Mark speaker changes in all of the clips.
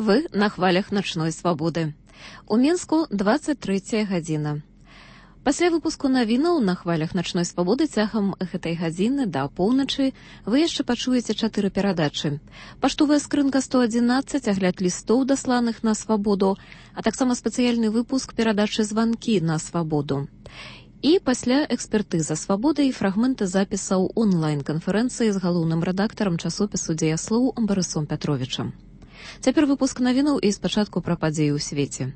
Speaker 1: Вы на хвалях начной свабоды. У Мінску 23 гадзіна. Пасля выпуску навінаў на хвалях начной свабоды цягам гэтай гадзіны да поўначы вы яшчэ пачуеце 4 перадачы. Паштовая скрынка 111, агляд лістоў, дасланых на свабоду, а таксама спецыяльны выпуск перадачы «Званкі на свабоду». І пасля экспертыза свабоды і фрагменты запісаў онлайн-канферэнцыі з галоўным рэдактарам часопісу «Дзеяслоў» Барысом Пятровічам. Цяпер выпуск навінаў і спачатку пра падзеі ў свеце.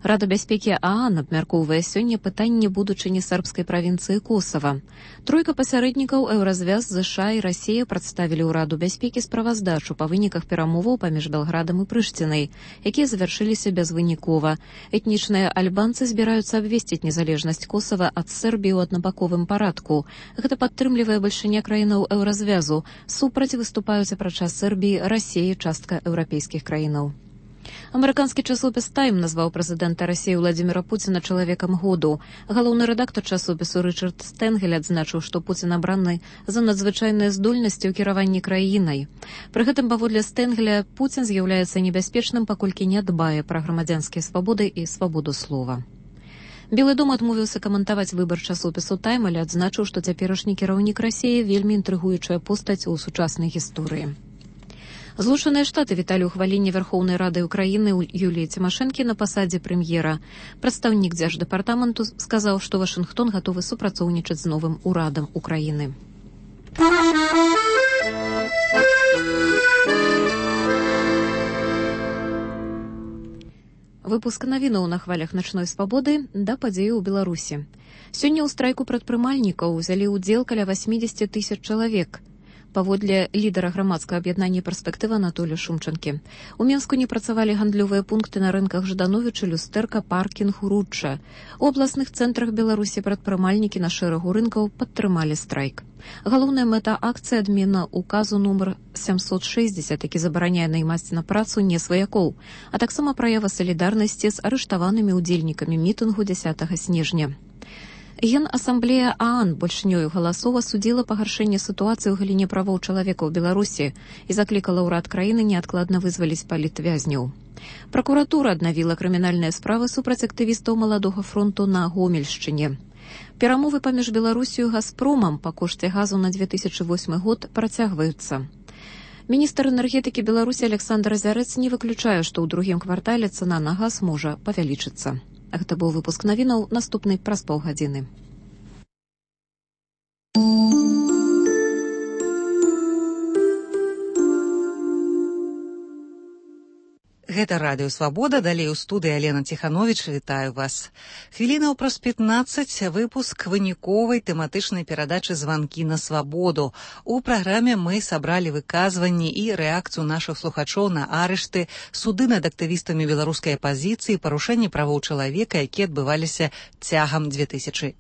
Speaker 1: Рада бяспекі ААН абмяркоўвае сёння пытанне будучыні сербскай правінцыі Косава. Тройка пасярэднікаў Еўразвяз, ЗША і Расія прадставілі ў Раду бяспекі справаздачу па выніках перамоваў паміж Белградам і Прыштінай, якія завяршыліся безвынікова. Этнічныя альбанцы збіраюцца абвесціць незалежнасць Косава ад Сербіі ў аднабаковым парадку. Гэта падтрымлівае бальшыня краінаў Еўразвязу. Супраць выступаюць апрача Сербіі, Расіі, частка еўрапейскіх краінаў. Амерыканскі часопіс «Тайм» назваў прэзідэнта Расіі Владзіміра Пуціна чалавекам году. Галоўны рэдактар часопісу Рычард Стэнгель адзначыў, што Пуцін абраны за надзвычайныя здольнасці ў кіраванні краінай. Пры гэтым, паводле Стэнгеля, Пуцін з'яўляецца небяспечным, паколькі не дбае пра грамадзянскія свабоды і свабоду слова. Белы дом адмовіўся каментаваць выбар часопісу «Тайм», але адзначыў, што цяперашні кіраўнік Расіі вельмі інтрыгуючая постаць у сучаснай гісторыі. Злучаныя Штаты віталі ўхваленне Верхоўнай Рады Украіны Юліі Цімашэнкі на пасадзе прэм'ера. Прадстаўнік дзярждэпартаменту сказаў, што Вашынгтон гатовы супрацоўнічаць з новым урадам Украіны. Выпуск навінаў на хвалях начной свабоды да падзеі ў Беларусі. Сёння ў страйку прадпрымальнікаў узялі ўдзел каля 80 000 чалавек. Паводле лідара грамадскага аб'яднання «Перспектыва» Анатолія Шумчанкі. У Мінску не працавалі гандлёвыя пункты на рынках Ждановіча, Люстэрка, Паркінг, Ручча. У абласных цэнтрах Беларусі прадпрымальнікі на шэрагу рынкаў падтрымалі страйк. Галоўная мэта акцыі — адмена указу нумар 760, які забараняе наймаць на працу не сваякоў, а таксама праява салідарнасці з арыштаванымі ўдзельнікамі мітынгу 10 снежня. Генасамблея ААН большынёю галасоў асудзіла пагаршэнне сітуацыі ў галіне правоў чалавека ў Беларусі і заклікала ўрад краіны неадкладна вызваліць палітвязняў. Пракуратура аднавіла крымінальныя справы супраць актывістаў Маладога фронту на Гомельшчыне. Перамовы паміж Беларусію і Газпромам па кошце газу на 2008 год працягваюцца. Міністр энергетыкі Беларусі Александр Азярэц не выключае, што ў другім квартале цана на газ можа павялічыцца. Гэта быў выпуск навінаў, наступны праз паўгадзіны.
Speaker 2: Гэта радыё «Свабода», далей у студыі Алена Ціхановіч, вітаю вас. Хвілінаў праз 15 выпуск выніковай тэматычнай перадачы «Званкі на свабоду». У праграме мы сабралі выказванні і рэакцыю нашых слухачоў на арышты, суды над актывістамі беларускай апазіцыі, парушэнні правоў чалавека, якія адбываліся цягам 2007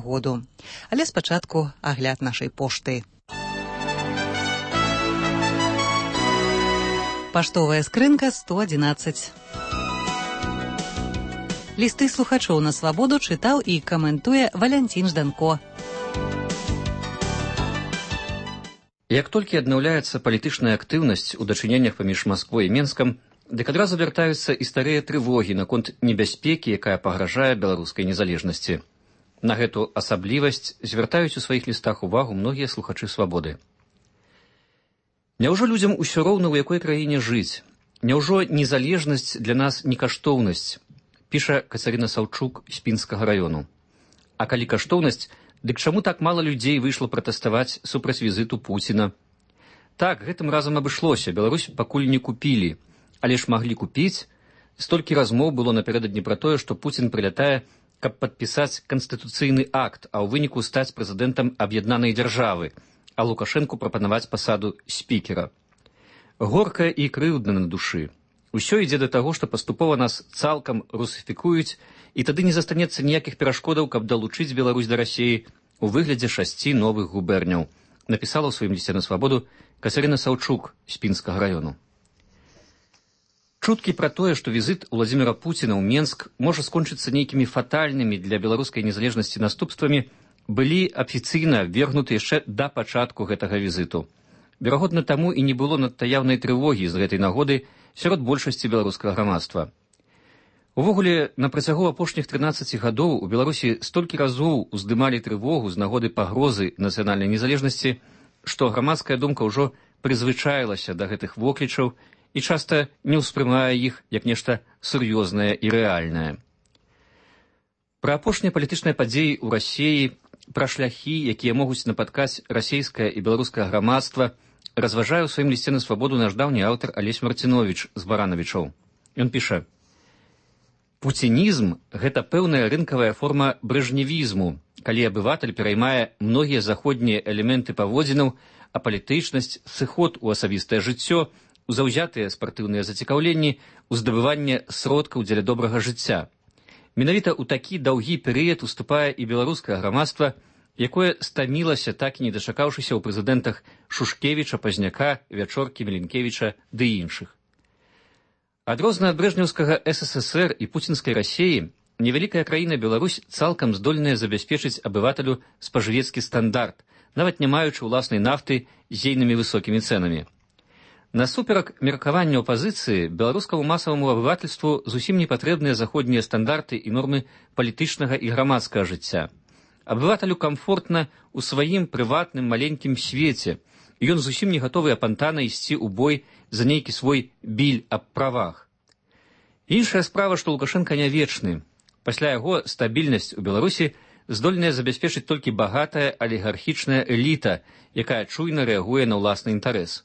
Speaker 2: году. Але спачатку агляд нашай пошты. Паштовая скрынка 111. Лісты слухачоў на свабоду чытаў і каментуе Валянцін Жданко.
Speaker 3: Як толькі аднаўляецца палітычная актыўнасць у дачыненнях паміж Масквой і Менскам, дык адразу вяртаюцца і старыя трывогі наконт небяспекі, якая пагражае беларускай незалежнасці. На гэту асаблівасць звяртаюць у сваіх лістах увагу многія слухачы свабоды. Няўжо людзям усё роўна, у якой краіне жыць? Няўжо незалежнасць для нас не каштоўнасць? Піша Кацярына Саўчук з Пінскага раёну. А калі каштоўнасць, дык чаму так мала людзей выйшла пратэставаць супраць візіту Пуціна? Так, гэтым разам абышлося, Беларусь пакуль не купілі, але ж маглі купіць. Столькі размоў было напярэдадні пра тое, што Пуцін прылятае, каб падпісаць канстытуцыйны акт, а ў выніку стаць прэзідэнтам аб'яднанай дзяржавы, а Лукашэнку прапанаваць пасаду спікера. Горка і крыўдна на душы. Усё ідзе да таго, што паступова нас цалкам русіфікуюць, і тады не застанецца ніякіх перашкодаў, каб далучыць Беларусь да Расіі у выглядзе 6 новых губерняў, напісала ў сваім лісце на свабоду Кацярына Саўчук з Пінскага раёну. Чуткі пра тое, што візіт Владзіміра Пуціна ў Менск можа скончыцца нейкімі фатальнымі для беларускай незалежнасці наступствамі, былі афіцыйна вергнуты яшчэ да пачатку гэтага візіту. Верагодна, таму і не было надта яўнай трывогі з гэтай нагоды, сярод большасці беларускага грамадства. Увогуле, на працягу апошніх 13 гадоў у Беларусі столькі разоў уздымалі трывогу з нагоды пагрозы нацыянальнай незалежнасці, што грамадская думка ўжо прызвычаілася да гэтых воклічаў і часта не ўспрымае іх як нешта сур'ёзнае і рэальнае. Пра апошнія палітычныя падзеі ў Расіі, пра шляхі, якія могуць напаткаць расійскае і беларускае грамадства, разважае ў сваім лісце на свабоду наш даўні аўтар Алесь Марціновіч з Баранавічоў. Ён піша: «Пуцінізм – гэта пэўная рынкавая форма брэжневізму, калі абыватель пераймае многія заходнія элементы паводзінаў, а палітычнасць, сыход у асабістае жыццё, у заўзятыя спартыўныя зацікаўленні, у здабыванне сродкаў дзеля добрага жыцця. Менавіта ў такі даўгі перыяд уступае і беларускае грамадства, якое стамілася, так і не дачакаўшыся ў прэзідэнтах Шушкевіча, Пазняка, Вячоркі, Меленкевіча ды іншых. Адрознна ад брэжнеўскага СССР і пуцінскай Расіі, невялікая краіна Беларусь цалкам здольная забяспечыць абывателю спажывецкі стандарт, нават не маючы ўласнай нафты з ейнымі высокімі цэнамі. Насуперак меркаванню апазіцыі, беларускаму масаваму абывательству зусім не патрэбныя заходнія стандарты і нормы палітычнага і грамадскага жыцця. Абывателю камфортна ў сваім прыватным маленькім свеце, і ён зусім не гатовы апантана ісці ў бой за нейкі свой біль аб правах. Іншая справа, што Лукашенка не вечны. Пасля яго стабільнасць у Беларусі здольная забяспечыць толькі багатая алігархічная эліта, якая чуйна рэагуе на ўласны інтарэс.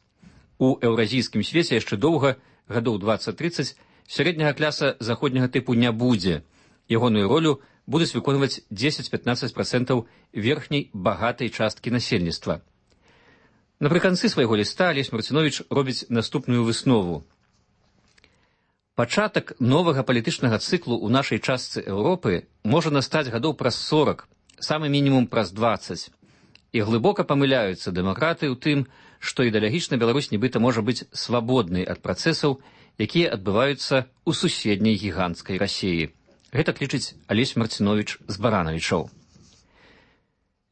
Speaker 3: У еўразійскім свеце яшчэ доўга, гадоў 20-30, сярэдняга кляса заходняга тыпу не будзе. Ягоную ролю будуць выконваць 10-15% верхняй багатай часткі насельніцтва. Напрыканцы свайго ліста Алесь Марціновіч робіць наступную выснову. Пачатак новага палітычнага цыклу ў нашай частцы Еўропы можа настаць гадоў праз 40, самы мінімум праз 20. І глыбока памыляюцца дэмакраты ў тым, што ідэалагічна Беларусь нібыта можа быць свабоднай ад працэсаў, якія адбываюцца ў суседняй гіганцкай Расіі. Гэта лічыць Алесь Марціновіч з Баранавічоў.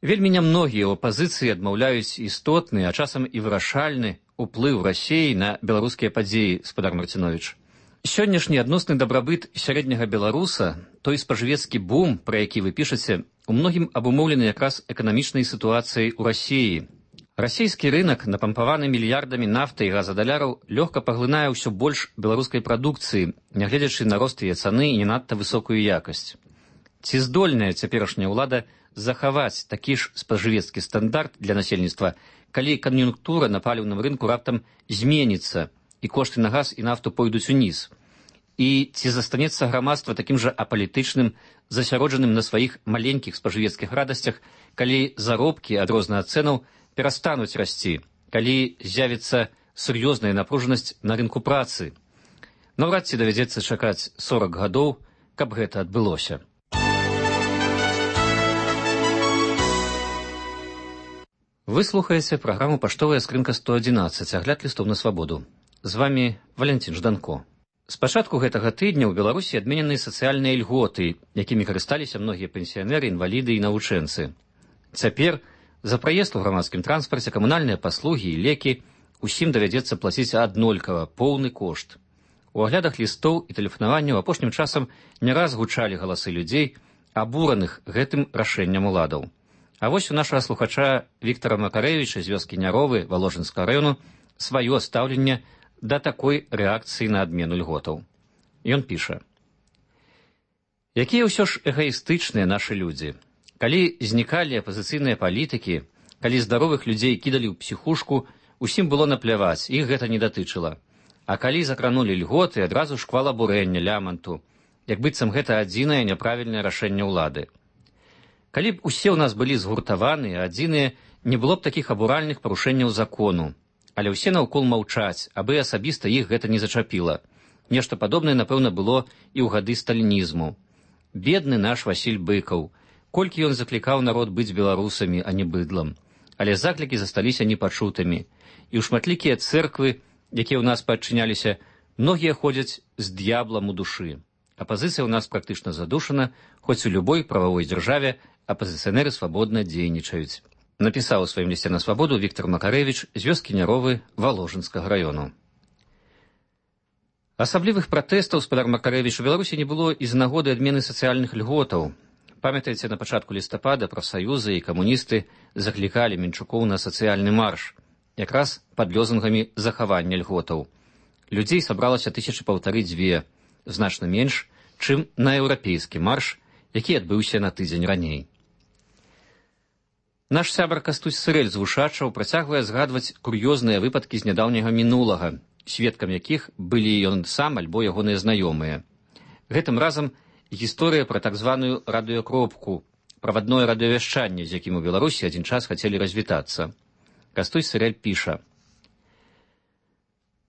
Speaker 3: Вельмі нямногія ў апазіцыі адмаўляюць істотны, а часам і вырашальны ўплыў Расіі на беларускія падзеі, спадар Марціновіч. Сённяшні адносны дабрабыт сярэдняга беларуса, той спажывецкі бум, пра які вы пішаце, у многім абумоўлены якраз эканамічнай сітуацыяй у Расіі. Расійскі рынак, напампаваны мільярдамі нафты і газадаляраў, лёгка паглынае ўсё больш беларускай прадукцыі, нягледзячы на рост яе цаны і не надта высокую якасць. Ці здольная цяперашняя ўлада захаваць такі ж спажывецкі стандарт для насельніцтва, калі кан'юнктура на паліўным рынку раптам зменіцца і кошты на газ і нафту пойдуць уніз? І ці застанецца грамадства такім жа апалітычным, засяроджаным на сваіх маленькіх спажывецкіх радасцях, калі заробкі ад розных цэнаў перастануць расці, калі з'явіцца сур'ёзная напружанасць на рынку працы? Наўрад ці давядзецца чакаць 40 гадоў, каб гэта адбылося. Вы слухаеце праграму «Паштовая скрынка 111», агляд лістоў на свабоду. З вамі Валянцін Жданко. З пачатку гэтага тыдня ў Беларусі адменены сацыяльныя льготы, якімі карысталіся многія пенсіянеры, інваліды і навучэнцы. Цяпер за праезд у грамадскім транспарце, камунальныя паслугі і лекі усім давядзецца плаціць аднолькава, поўны кошт. У аглядах лістоў і тэлефанаванняў апошнім часам не раз гучалі галасы людзей, абураных гэтым рашэннем уладаў. А вось у нашага слухача Віктара Макарэвіча з вёскі Няровы Валожынскага раёну сваё стаўленне да такой рэакцыі на адмену льготаў. Ён піша: «Якія ўсё ж эгаістычныя нашы людзі. Калі знікалі апазіцыйныя палітыкі, калі здаровых людзей кідалі ў псіхушку, усім было напляваць, іх гэта не датычыла. А калі закранулі льготы, адразу шквал абурэння, ляманту, як быццам гэта адзінае няправільнае рашэнне ўлады. Калі б усе ў нас былі згуртаваныя, адзіныя, не было б такіх абуральных парушэнняў закону. Але ўсе наўкол маўчаць, абы асабіста іх гэта не зачапіла. Нешта падобнае, напэўна, было і ў гады сталінізму. Бедны наш Васіль Быкаў. Колькі ён заклікаў народ быць беларусамі, а не быдлам. Але заклікі засталіся непачутымі. І ў шматлікія цэрквы, якія ў нас падчыняліся, многія ходзяць з д'яблам у душы. Апазіцыя ў нас практычна задушана, хоць у любой прававой дзяржаве апазіцыянеры свабодна дзейнічаюць. Напісаў у сваім лісце на свабоду Віктар Макарэвіч з вёскі Няровы Валожынскага раёну. Асаблівых пратэстаў, спадар Макарэвіч, у Беларусі не было і з нагоды адмены сацыяльных льготаў. Памятаеце, на пачатку лістапада прафсаюзы і камуністы заклікалі Мінчукоў на сацыяльны марш, якраз пад лёзунгамі захавання льготаў. Людзей сабралася 1500-2, значна менш, чым на еўрапейскі марш, які адбыўся на тыдзень раней. Наш сябар Кастусь Сырэль з Вушачаў працягвае згадваць кур'ёзныя выпадкі з нядаўняга мінулага, сведкам якіх былі ён сам альбо ягоныя знаёмыя. Гэтым разам гісторыя пра так званую радыёкропку, правадное радыёвяшчанне, з якім у Беларусі адзін час хацелі развітацца. Кастусь Сырэль піша: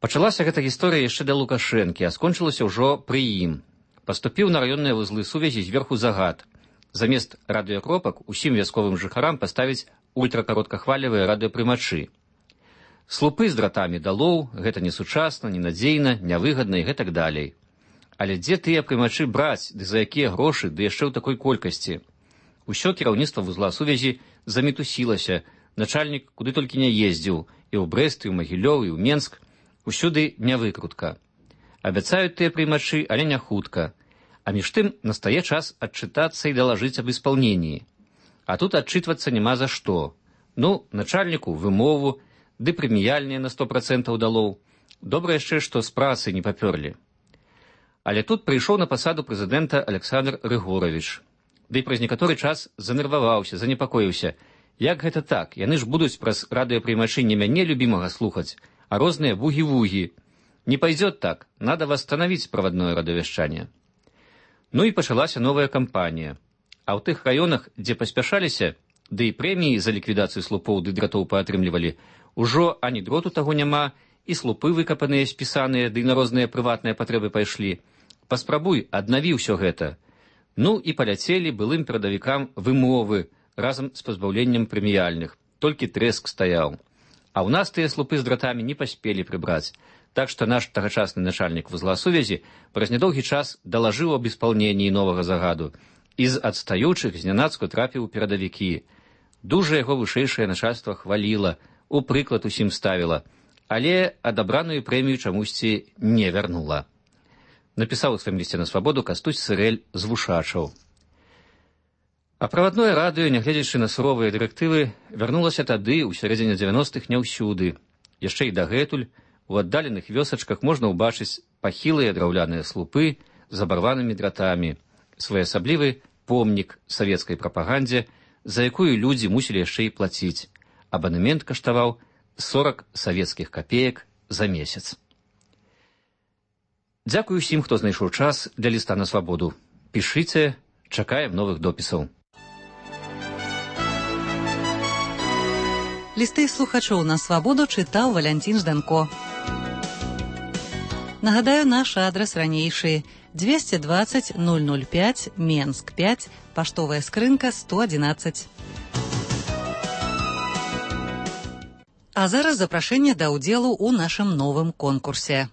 Speaker 3: «Пачалася гэта гісторыя яшчэ да Лукашэнкі, а скончылася ўжо пры ім. Паступіў на раённыя вузлы сувязі зверху загад. Замест радыёкропак усім вясковым жыхарам паставіць ультракароткахвалевыя радыёпрымачы. Слупы з дратамі далоў, гэта несучасна, ненадзейна, нявыгадна і гэтак далей. Але дзе тыя прымачы браць, ды за якія грошы, ды яшчэ ў такой колькасці? Усё кіраўніцтва вузла сувязі замітусілася, начальнік куды толькі не ездзіў, і ў Брэст, і ў Магілёў, і ў Менск, усюды нявыкрутка. Абяцаюць тыя прымачы, але не хутка. А між тым настае час адчытацца і далажыць аб исполнении. А тут адчытвацца няма за што. Ну, начальніку вымову, ды прэміяльныя на 100% далоў. Добра яшчэ, што з працы не папёрлі. Але тут прыйшоў на пасаду прэзідэнта Александр Рыгорович. Ды праз некаторы час занерваваўся, занепакоіўся. Як гэта так? Яны ж будуць праз радыёпрымачы не мяне любімага слухаць, а розныя вугі-вугі. Не пойдет так, надо восстановить проводное радыёвяшчанне. Ну і пачалася новая кампанія. А ў тых раёнах, дзе паспяшаліся, ды і прэміі за ліквідацыю слупоў ды дратоў паатрымлівалі, ужо ані дроту таго няма, і слупы выкапаныя, спісаныя, ды на розныя прыватныя патрэбы пайшлі. Паспрабуй, аднаві ўсё гэта. Ну і паляцелі былым перадавікам вымовы разам з пазбаўленнем прэміяльных. Толькі трэск стаяў. А ў нас тыя слупы з дратамі не паспелі прыбраць. Так што наш тагачасны начальнік вузла сувязі праз нядоўгі час далажыў аб испалненні новага загаду і з адстаючых знянацку трапіў у перадавікі. Дужа яго вышэйшае начальства хваліла, у прыклад усім ставіла, але адабраную прэмію чамусьці не вярнула. Напісаў у сваім лісце на свабоду Кастусь Сырэль з Вушачаў. А правадное радыё, нягледзячы на суровыя дырэктывы, вярнулася тады, у сярэдзіне 90-х, не ўсюды. Яшчэ і дагэтуль у аддаленых вёсачках можна ўбачыць пахілыя драўляныя слупы з абарванымі дратамі, своеасаблівы помнік савецкай прапагандзе, за якую людзі мусілі яшчэ і плаціць. Абанемент каштаваў 40 савецкіх капеек за месяц. Дзякую ўсім, хто знайшоў час для ліста на свабоду. Пішыце, чакаем новых допісаў.
Speaker 2: Лісты слухачоў на свабоду чытаў Валянцін Жданко. Нагадаю, наш адрас ранейшы: 220 005, Менск 5, паштовая скрынка 111. А зараз запрашэнне да ўдзелу ў нашым новым конкурсе.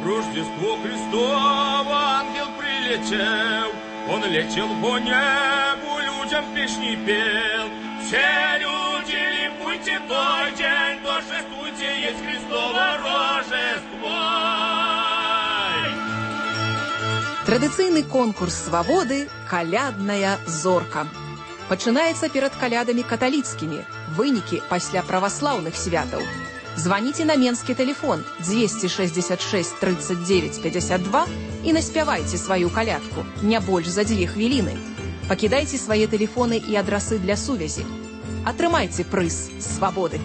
Speaker 4: Рождество Христово, ангел прилетел, он летел по небу, людям песни пел. Все люди ликуйте той день, торжествуйте, есть Христово Рождество.
Speaker 5: Традыцыйны конкурс свабоды «Калядная зорка». Пачынаецца перад калядамі каталіцкімі, вынікі пасля праваслаўных святаў. Званіце на менскі тэлефон 266 39 52 і наспявайце сваю калядку, не больш за 2 хвіліны. Пакідайце свае тэлефоны і адрасы для сувязі. Атрымайце прыз свабоды.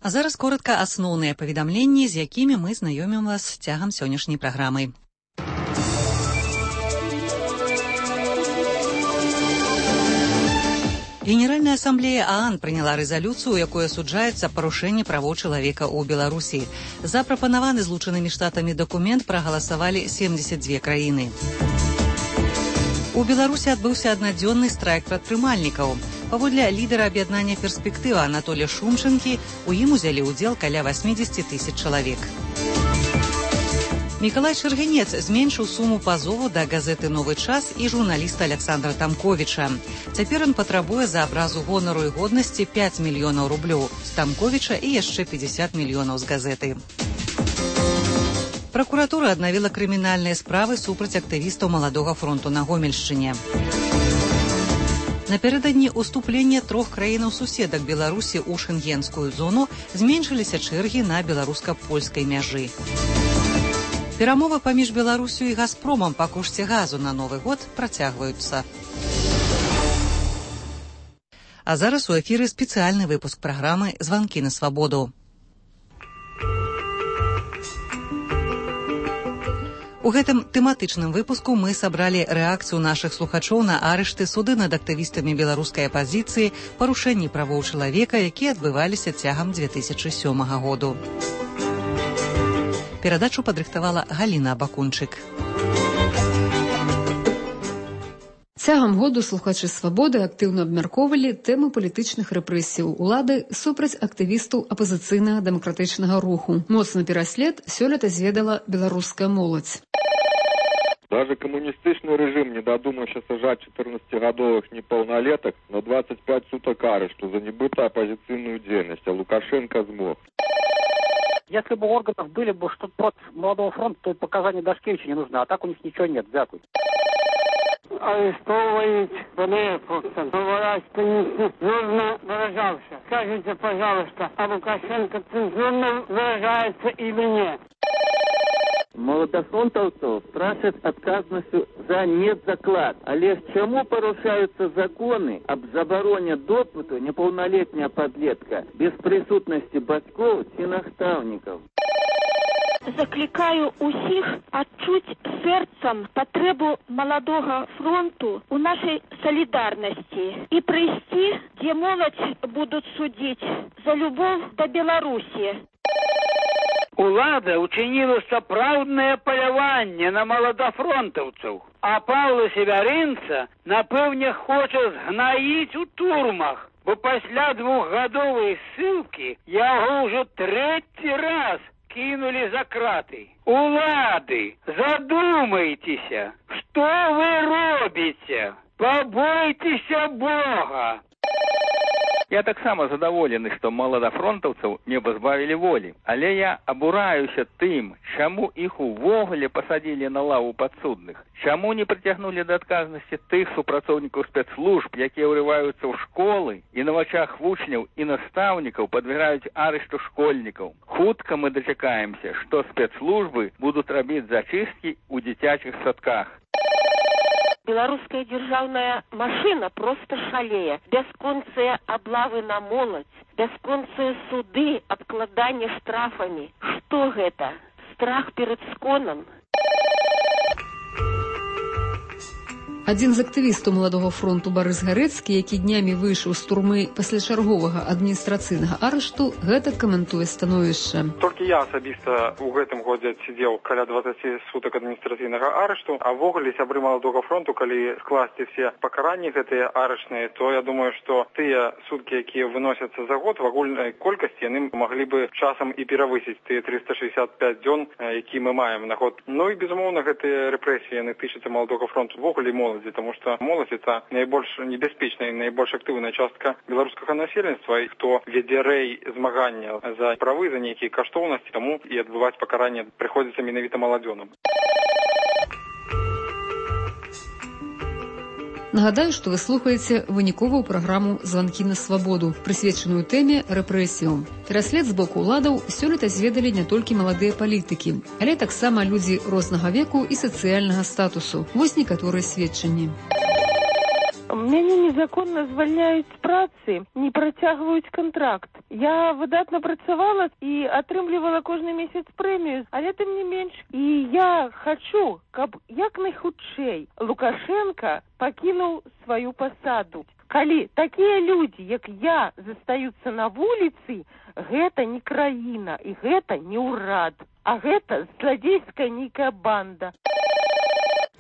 Speaker 2: А зараз коротка асноўныя паведамленні, з якімі мы знаёмім вас цягам сённяшняй праграмы. Генеральная ассамблея ААН прыняла рэзалюцыю, у якой асуджаецца парушэнне правоў чалавека ў Беларусі. За прапанаваны злучанымі штатамі дакумент прагаласавалі 72 краіны. У Беларусі адбыўся аднадзённы страйк прадпрымальнікаў. Паводле лідара аб'яднання «Перспектыва» Анатолія Шумчынкі, у ім узялі ўдзел каля 80 000 чалавек. Мікалай Чыргінец зменшыў суму пазову да газеты «Новы час» і журналіста Александра Тамковіча. Цяпер ён патрабуе за абразу гонару і годнасці 5 мільёнаў рублёў з Тамковіча і яшчэ 50 мільёнаў з газеты. Пракуратура аднавіла крымінальныя справы супраць актывістаў Маладога фронту на Гомельшчыне. Напярэдадні уступлення 3 краінаў-суседак Беларусі ў шэнгенскую зону зменшыліся чэргі на беларуска-польскай мяжы. Перамовы паміж Беларусю і Газпромам па кошце газу на Новы год працягваюцца. А зараз у эфіры спецыяльны выпуск праграмы «Званкі на свабоду». У гэтым тэматычным выпуску мы сабралі рэакцыю нашых слухачоў на арышты, суды над актывістамі беларускай апазіцыі, парушэнні правоў чалавека, якія адбываліся цягам 2007 году. Перадачу падрыхтавала Галіна Бакунчык.
Speaker 6: Цягам году слухачы «Свабоды» актыўна абмяркоўвалі тэму палітычных рэпрэсіяў улады супраць актывістаў апазіцыйнага дэмакратычнага руху. Моцны пераслед сёлета зведала беларуская моладзь.
Speaker 7: Даже коммунистичный режим не додумался сажать 14-годовых неполнолеток на 25 суток арешту за небытую оппозиционную деятельность, а Лукашенко смог.
Speaker 8: Если бы у органов были бы что-то против Молодого фронта, то и показания Дашкевича не нужны, а так у них ничего нет. Дякую.
Speaker 9: Арестовывают просто, говорят, что нецензурно выражался. Скажите, пожалуйста, а Лукашенко цензурно выражается или нет?
Speaker 10: Молодофронтовцев просят отказностью за медзаклад. Але чему порушаются законы об забороне допыту неполнолетняя подлетка без присутности батьков и наставников?
Speaker 11: Закликаю усіх адчуць сэрцам патрэбу Маладога фронту у нашай салідарнасці і прыйсці, дзе моладзь будуць судзіць за любоў да Беларусі.
Speaker 12: Улада учинила сапраўднае паляванне на маладафронтаўцаў, а Паўла Севярынца, напэўне, хоча згнаіць у турмах, бо пасля 2-гадовай ссылкі яго ўжо 3-й раз кинули за краты. Улады, задумайтеся, что вы робите? Побойтеся Бога.
Speaker 13: Я таксама задаволены, што маладафронтаўцаў не пазбавілі волі, але я абураюся тым, чаму іх увогуле пасадзілі на лаву падсудных, чаму не прыцягнулі да адказнасці тых супрацоўнікаў спецслужб, якія ўрываюцца ў школы і на вачах вучняў і настаўнікаў падвяргаюць арышту школьнікаў. Хутка мы дачакаемся, што спецслужбы будуць рабіць зачысткі ў дзіцячых садках.
Speaker 11: Беларуская дзяржаўная машына проста шалее. Бясконцыя аблавы на моладзь, бясконцыя суды, абкладанне штрафамі. Што гэта? Страх перад сконам?
Speaker 6: Адзін з актывістаў Маладога фронту Барыс Гарэцкі, які днямі выйшаў з турмы пасля чарговага адміністрацыйнага арышту, гэта каментуе становішча.
Speaker 14: Толькі я асабіста ў гэтым годзе адсидзеў каля 20 сутак адміністрацыйнага арышту, а ввогуле сябры Маладога фронту, калі скласці все пакаранні гэтыя арышныя, то я думаю, што тыя суткі, якія выносяцца за год в агульнай колькасці, яны маглі бы часам і перавысіць тыя 365 дзён, які мы маем на год. Ну і безумоўна, гэтыя рэпрэсіі яны тычацца Маладога фронту ввогуле потому что молодь это наибольш небяспечная и наибольш активная частка белорусского насельніцтва, и кто веде рэй змагання за правы, за некие каштоўнасці, тому и отбывать покарание приходится менавіта маладзёнам.
Speaker 6: Нагадаю, што вы слухаеце выніковую праграму «Званкі на свабоду», прысвечаную тэме рэпрэсіям. Пераслед з боку ўладаў сёлета зведалі не толькі маладыя палітыкі, але таксама людзі рознага веку і сацыяльнага статусу. Вось некаторыя сведчанні.
Speaker 15: Мяне незаконна звальняюць з працы, не працягваюць контракт. Я выдатна працавала і атрымлівала кожны месяц прэмію, але тым не менш. І я хачу, каб як найхутчэй Лукашенко пакінуў сваю пасаду. Калі такія людзі, як я, застаюцца на вуліцы, гэта не краіна і гэта не ўрад, а гэта зладзейская нейкая банда.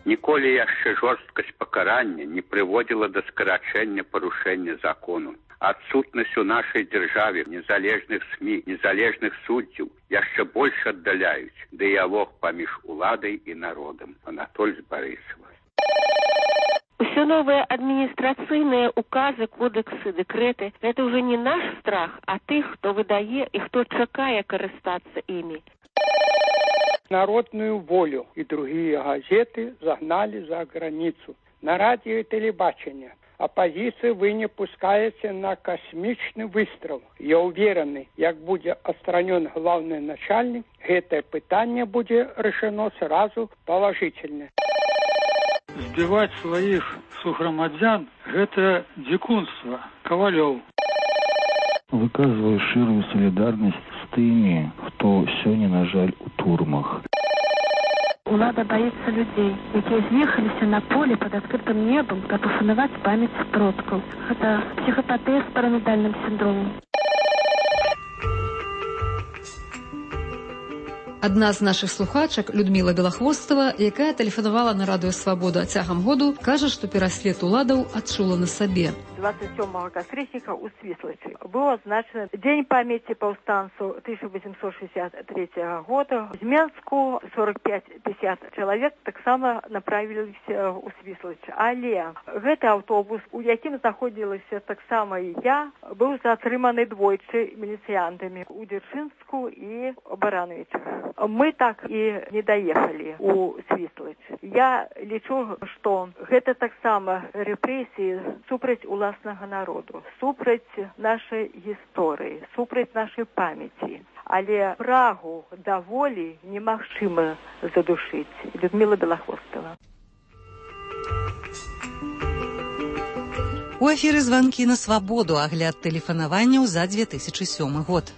Speaker 16: Ніколі яшчэ жорсткасць пакарання не прыводзіла да скарачэння парушэння закону. Адсутнасць у нашай дзяржаве незалежных СМІ, незалежных суддзяў яшчэ больш аддаляюць дыялог паміж уладай і народам. Анатоль Борисова.
Speaker 11: Все новые административные указы, кодексы, декреты – это уже не наш страх, а тых, кто выдае и кто чакае карыстаться ими.
Speaker 17: Народную волю и другие газеты загнали за границу. На радио и телебачение оппозиция вы не пускаете на космичный выстрел. Я уверен, как будет отстранен главный начальник, это питание будет решено сразу положительно.
Speaker 18: Збивать своих согромадзян – это дикунство. Ковалев.
Speaker 19: Выказываю ширую солидарность с теми, кто сегодня, на жаль, у турмах.
Speaker 20: Улада боится людей, які з'ехаліся на поле под открытым небом, каб ушанаваць памяць продкаў. Это психопатия с параноидальным синдромом.
Speaker 6: Адна з нашых слухачак, Людмила Белахвостова, якая тэлефанавала на радыё «Свабода» цягам году, кажа, што пераслед уладаў адчула на сабе.
Speaker 21: 27 кастрычніка ў Свіслачы быў адзначаны Дзень памяці паўстанцаў 1863 года. З Менску 45-50 чалавек таксама направіліся ў Свіслач. Але гэты аўтобус, у якім знаходзілася таксама і я, быў затрыманы двойчы міліцыянтамі у Дзяржынску і Барановичах. Мы так і не даехалі у Свіслач. Я лічу, што гэта таксама рэпрэсіі супраць уласнага народу, супраць нашай гісторыі, супраць нашай памяці. Але прагу да волі немагчыма задушыць. Людмила Белахвостова.
Speaker 2: У эфіры «Званкі на свабоду», агляд тэлефанаванняў за 2007 год.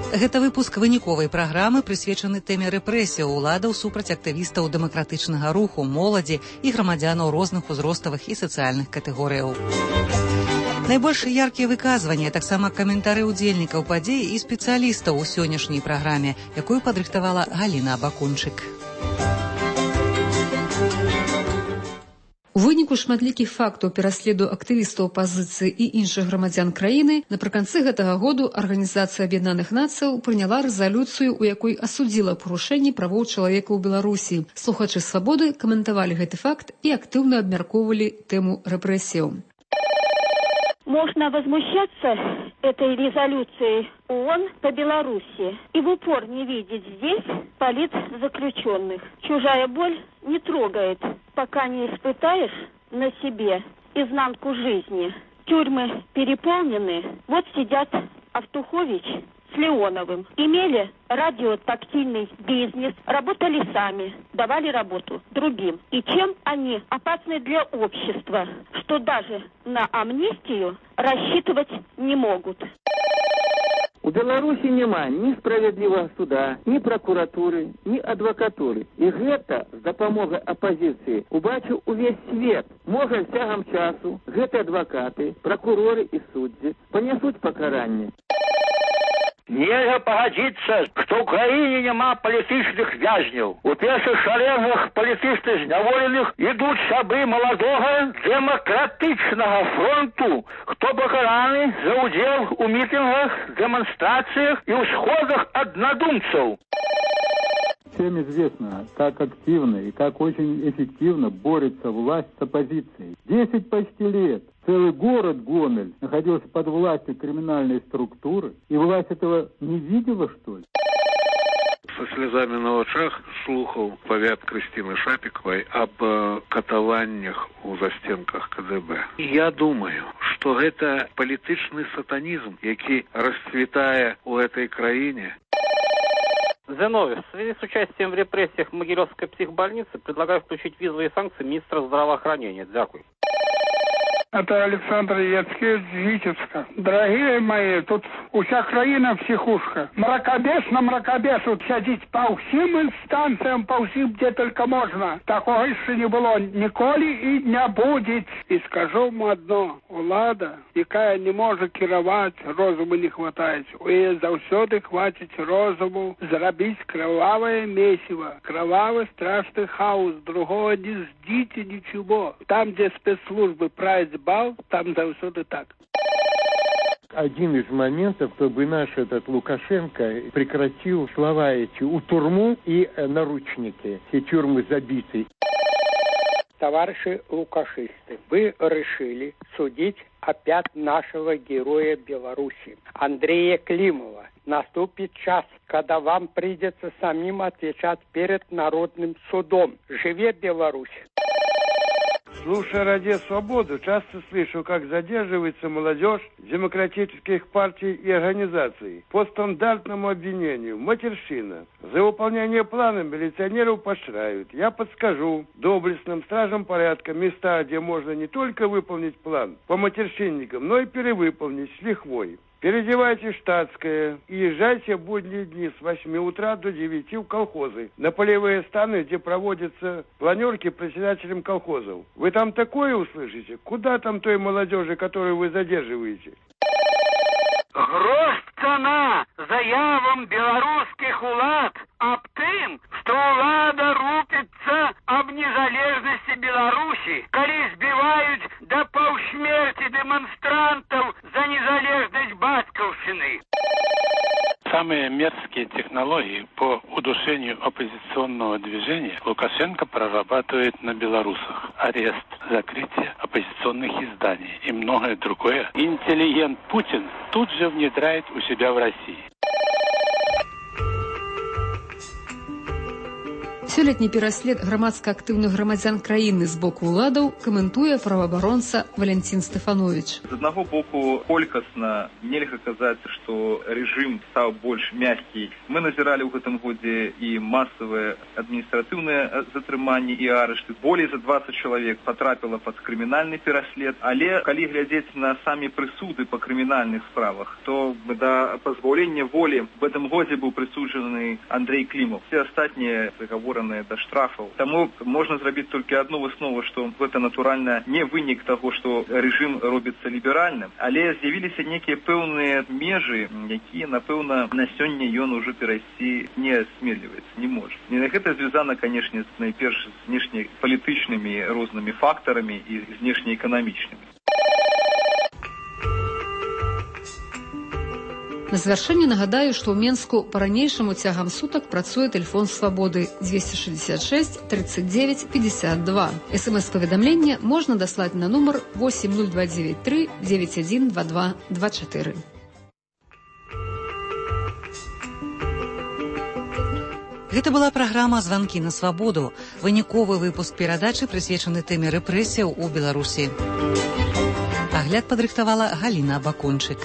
Speaker 2: Гэта выпуск выніковай праграмы, прысвечаны тэме рэпрэсіяў уладаў супраць актывістаў дэмакратычнага руху, моладзі і грамадзянаў розных узроставых і сацыяльных катэгорыяў. Найбольш яркія выказванні, таксама каментары ўдзельнікаў падзеі і спецыялістаў у сённяшняй праграме, якую падрыхтавала Галіна Абакунчык.
Speaker 6: У выніку шматлікіх фактаў пераследу актывістаў апазіцыі і іншых грамадзян краіны напрыканцы гэтага году Арганізацыя Аб'яднаных Нацыяў прыняла рэзалюцыю, у якой асудзіла парушэнні правоў чалавека ў Беларусі. Слухачы «Свабоды» каментавалі гэты факт і актыўна абмяркоўвалі тэму рэпрэсіяў.
Speaker 11: Можно возмущаться этой резолюцией ООН по Беларуси и в упор не видеть здесь политзаключенных. Чужая боль не трогает, пока не испытаешь на себе изнанку жизни. Тюрьмы переполнены. Вот сидят Автухович с Леоновым. Имели радиотактильный бизнес, работали сами, давали работу другим. И чем они опасны для общества, что даже на амнистию рассчитывать не могут.
Speaker 10: У Беларусі няма ні справядлівага суда, ні пракуратуры, ні адвакатуры. І гэта з дапамогай апазіцыі убачыў увесь свет. Можа, цягам часу гэты адвакаты, пракуроры і суддзі панясуць пакаранне.
Speaker 12: Нельга пагадзіцца, што ў краіне няма палітычных вязняў. У першых шарэнгах палітычных зняволеных ідуць сябры маладога дэмакратычнага фронту, хто пакараны за ўдзел у мітынгах, дэманстрацыях і ўсходах аднадумцаў.
Speaker 19: Всем известно, как активно и как очень эффективно борется власть с оппозицией. 10 почти лет целый город Гомель находился под властью криминальной структуры, и власть этого не видела, что ли?
Speaker 22: Со слезами на очах слухал повят Кристины Шапиковой об катаваннях у застенках КДБ. Я думаю, что это политичный сатанизм, який расцветая у этой краине.
Speaker 8: Зиновьев, в связи с участием в репрессиях Могилевской психбольницы предлагаю включить визовые санкции министра здравоохранения. Дякую.
Speaker 17: Это Александр Яцкевич, Витебска. Дорогие мои, тут уся краіна психушка. Мракабес на мракабесу сядзіць па ўсім інстанцыям, па ўсім, дзе только можна. Такого яшчэ не было ніколі і не будзе. І скажу вам одно, улада, якая не можа кіраваць, розуму не хватае. У яе заўсёды хваціць розуму зрабіць кровавое месиво, кровавый страшный хаос, другого не ждите ничего. Там, где спецслужбы правят бал, там заўсёды так.
Speaker 19: Один из моментов, чтобы наш этот Лукашенко прекратил слова эти у турму и наручники. Все тюрьмы забиты.
Speaker 17: Товарищи лукашисты, вы решили судить опять нашего героя Беларуси, Андрея Климова. Наступит час, когда вам придется самим отвечать перед народным судом. Живе Беларусь!
Speaker 1: Слушая «Радио Свободу», часто слышу, как задерживается молодежь демократических партий и организаций по стандартному обвинению. Матерщина. За выполнение плана милиционеров поощряют. Я подскажу доблестным стражам порядка места, где можно не только выполнить план по матерщинникам, но и перевыполнить с лихвой. Переодевайте штатское и езжайте в будние дни с 8 утра до 9 в колхозы, на полевые станы, где проводятся планерки председателем колхозов. Вы там такое услышите? Куда там той молодежи, которую вы задерживаете?
Speaker 12: Грош цана заявам белорусских улад об тым, что улада рупится об незалежности Беларуси, коли сбивают до полсмерти демонстрантов за незалежность батьковщины.
Speaker 3: Самые мерзкие технологии по удушению оппозиционного движения Лукашенко прорабатывает на белорусах. Арест, закрытие оппозиционных изданий и многое другое. Интеллигент Путин тут же внедряет у себя в России.
Speaker 6: Сёлетні пераслед грамадска актыўных грамадзян краіны з боку ўладаў каментуе праваабаронца Валянцін Стэфановіч.
Speaker 23: З аднаго боку, колькасна нельга казаць, што рэжым стаў больш мяккі. Мы назіралі ў гэтым годзе і масавыя адміністратыўныя затрыманні і арышты. Болей за 20 чалавек патрапіла пад крымінальны пераслед. Але калі глядзець на самі прысуды па крымінальных справах, то да пазбаўлення волі в гэтым годзе быў прысуджаны Андрей Климов. Все астатнія прыгаворы до штрафаў. Таму можна зрабіць толькі адну выснову, што гэта натуральна не вынік таго, што рэжым робіцца ліберальным, але з'явіліся нейкія пэўныя межы, якія, напэўна, на сёння ён ужо перайсці не асмеліваецца, не можа. І гэта звязана, канешне, найперш з знешнепалітычнымі рознымі фактарамі і знешнеэканамічнымі.
Speaker 6: На завяршэнне нагадаю, што ў Менску па-ранейшаму цягам сутак працуе тэлефон свабоды 266 39 52. СМС-паведамленне можна даслаць на нумар 80293 9122 24.
Speaker 2: Гэта была праграма «Званкі на свабоду», выніковы выпуск перадачы, прысвечаны тэме рэпрэсіяў у Беларусі. Агляд падрыхтавала Галіна Бакончык.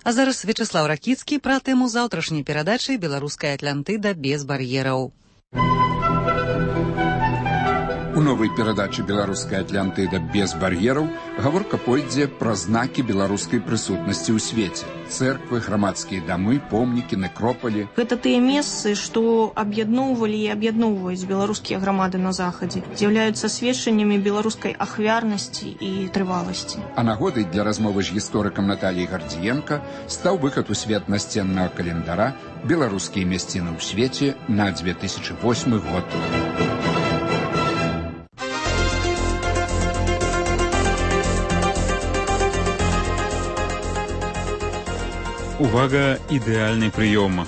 Speaker 2: А зараз Вячеслав Ракіцкі пра тэму заўтрашняй перадачы «Беларуская Атлантыда без бар'ераў».
Speaker 24: У новай перадачы «Беларуская Атлантыда без бар'ераў» гаворка пойдзе пра знакі беларускай прысутнасці ў свеце. Цэрквы, грамадскія дамы, помнікі, некропалі.
Speaker 25: Гэта тыя месцы, што аб'ядноўвалі і аб'ядноўваюць беларускія грамады на захадзе, з'яўляюцца сведчаннямі беларускай ахвярнасці і трываласці.
Speaker 24: А нагодай для размовы з гісторыкам Наталіяй Гардзіенка стаў выхад у свет насценнага календара «Беларускія мясціны ў свеце» на 2008 год.
Speaker 26: Увага, ідэальны прыём.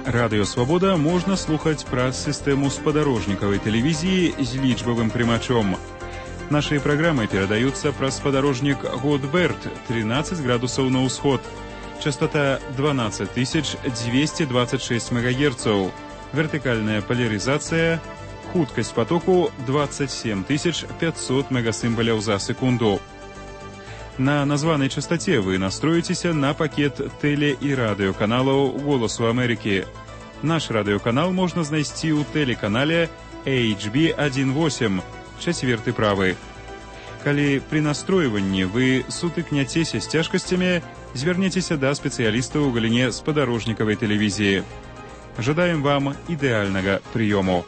Speaker 26: Радыё Свабода можна слухаць праз сістэму спадарожнікавай тэлевізіі з лічбавым прымачом. Нашыя праграмы перадаюцца праз спадарожнік Годберт 13 градусаў на ўсход. Частота 12226 МГц. Вертыкальная полярызацыя. Хуткасць потоку 27500 мегасімбаляў за секунду. На названай частоце вы настроіцеся на пакет тэле- і радыёканалаў «Голасу Амерыкі». Наш радыёканал можна знайсці ў тэлеканале HB18, 4 правы. Калі при настройванні вы сутыкняцеся з цяжкасцямі, звярніцеся да спецыяліста ў галіне спадарожнікавай тэлевізіі. Жадаем вам ідэальнага прыёму.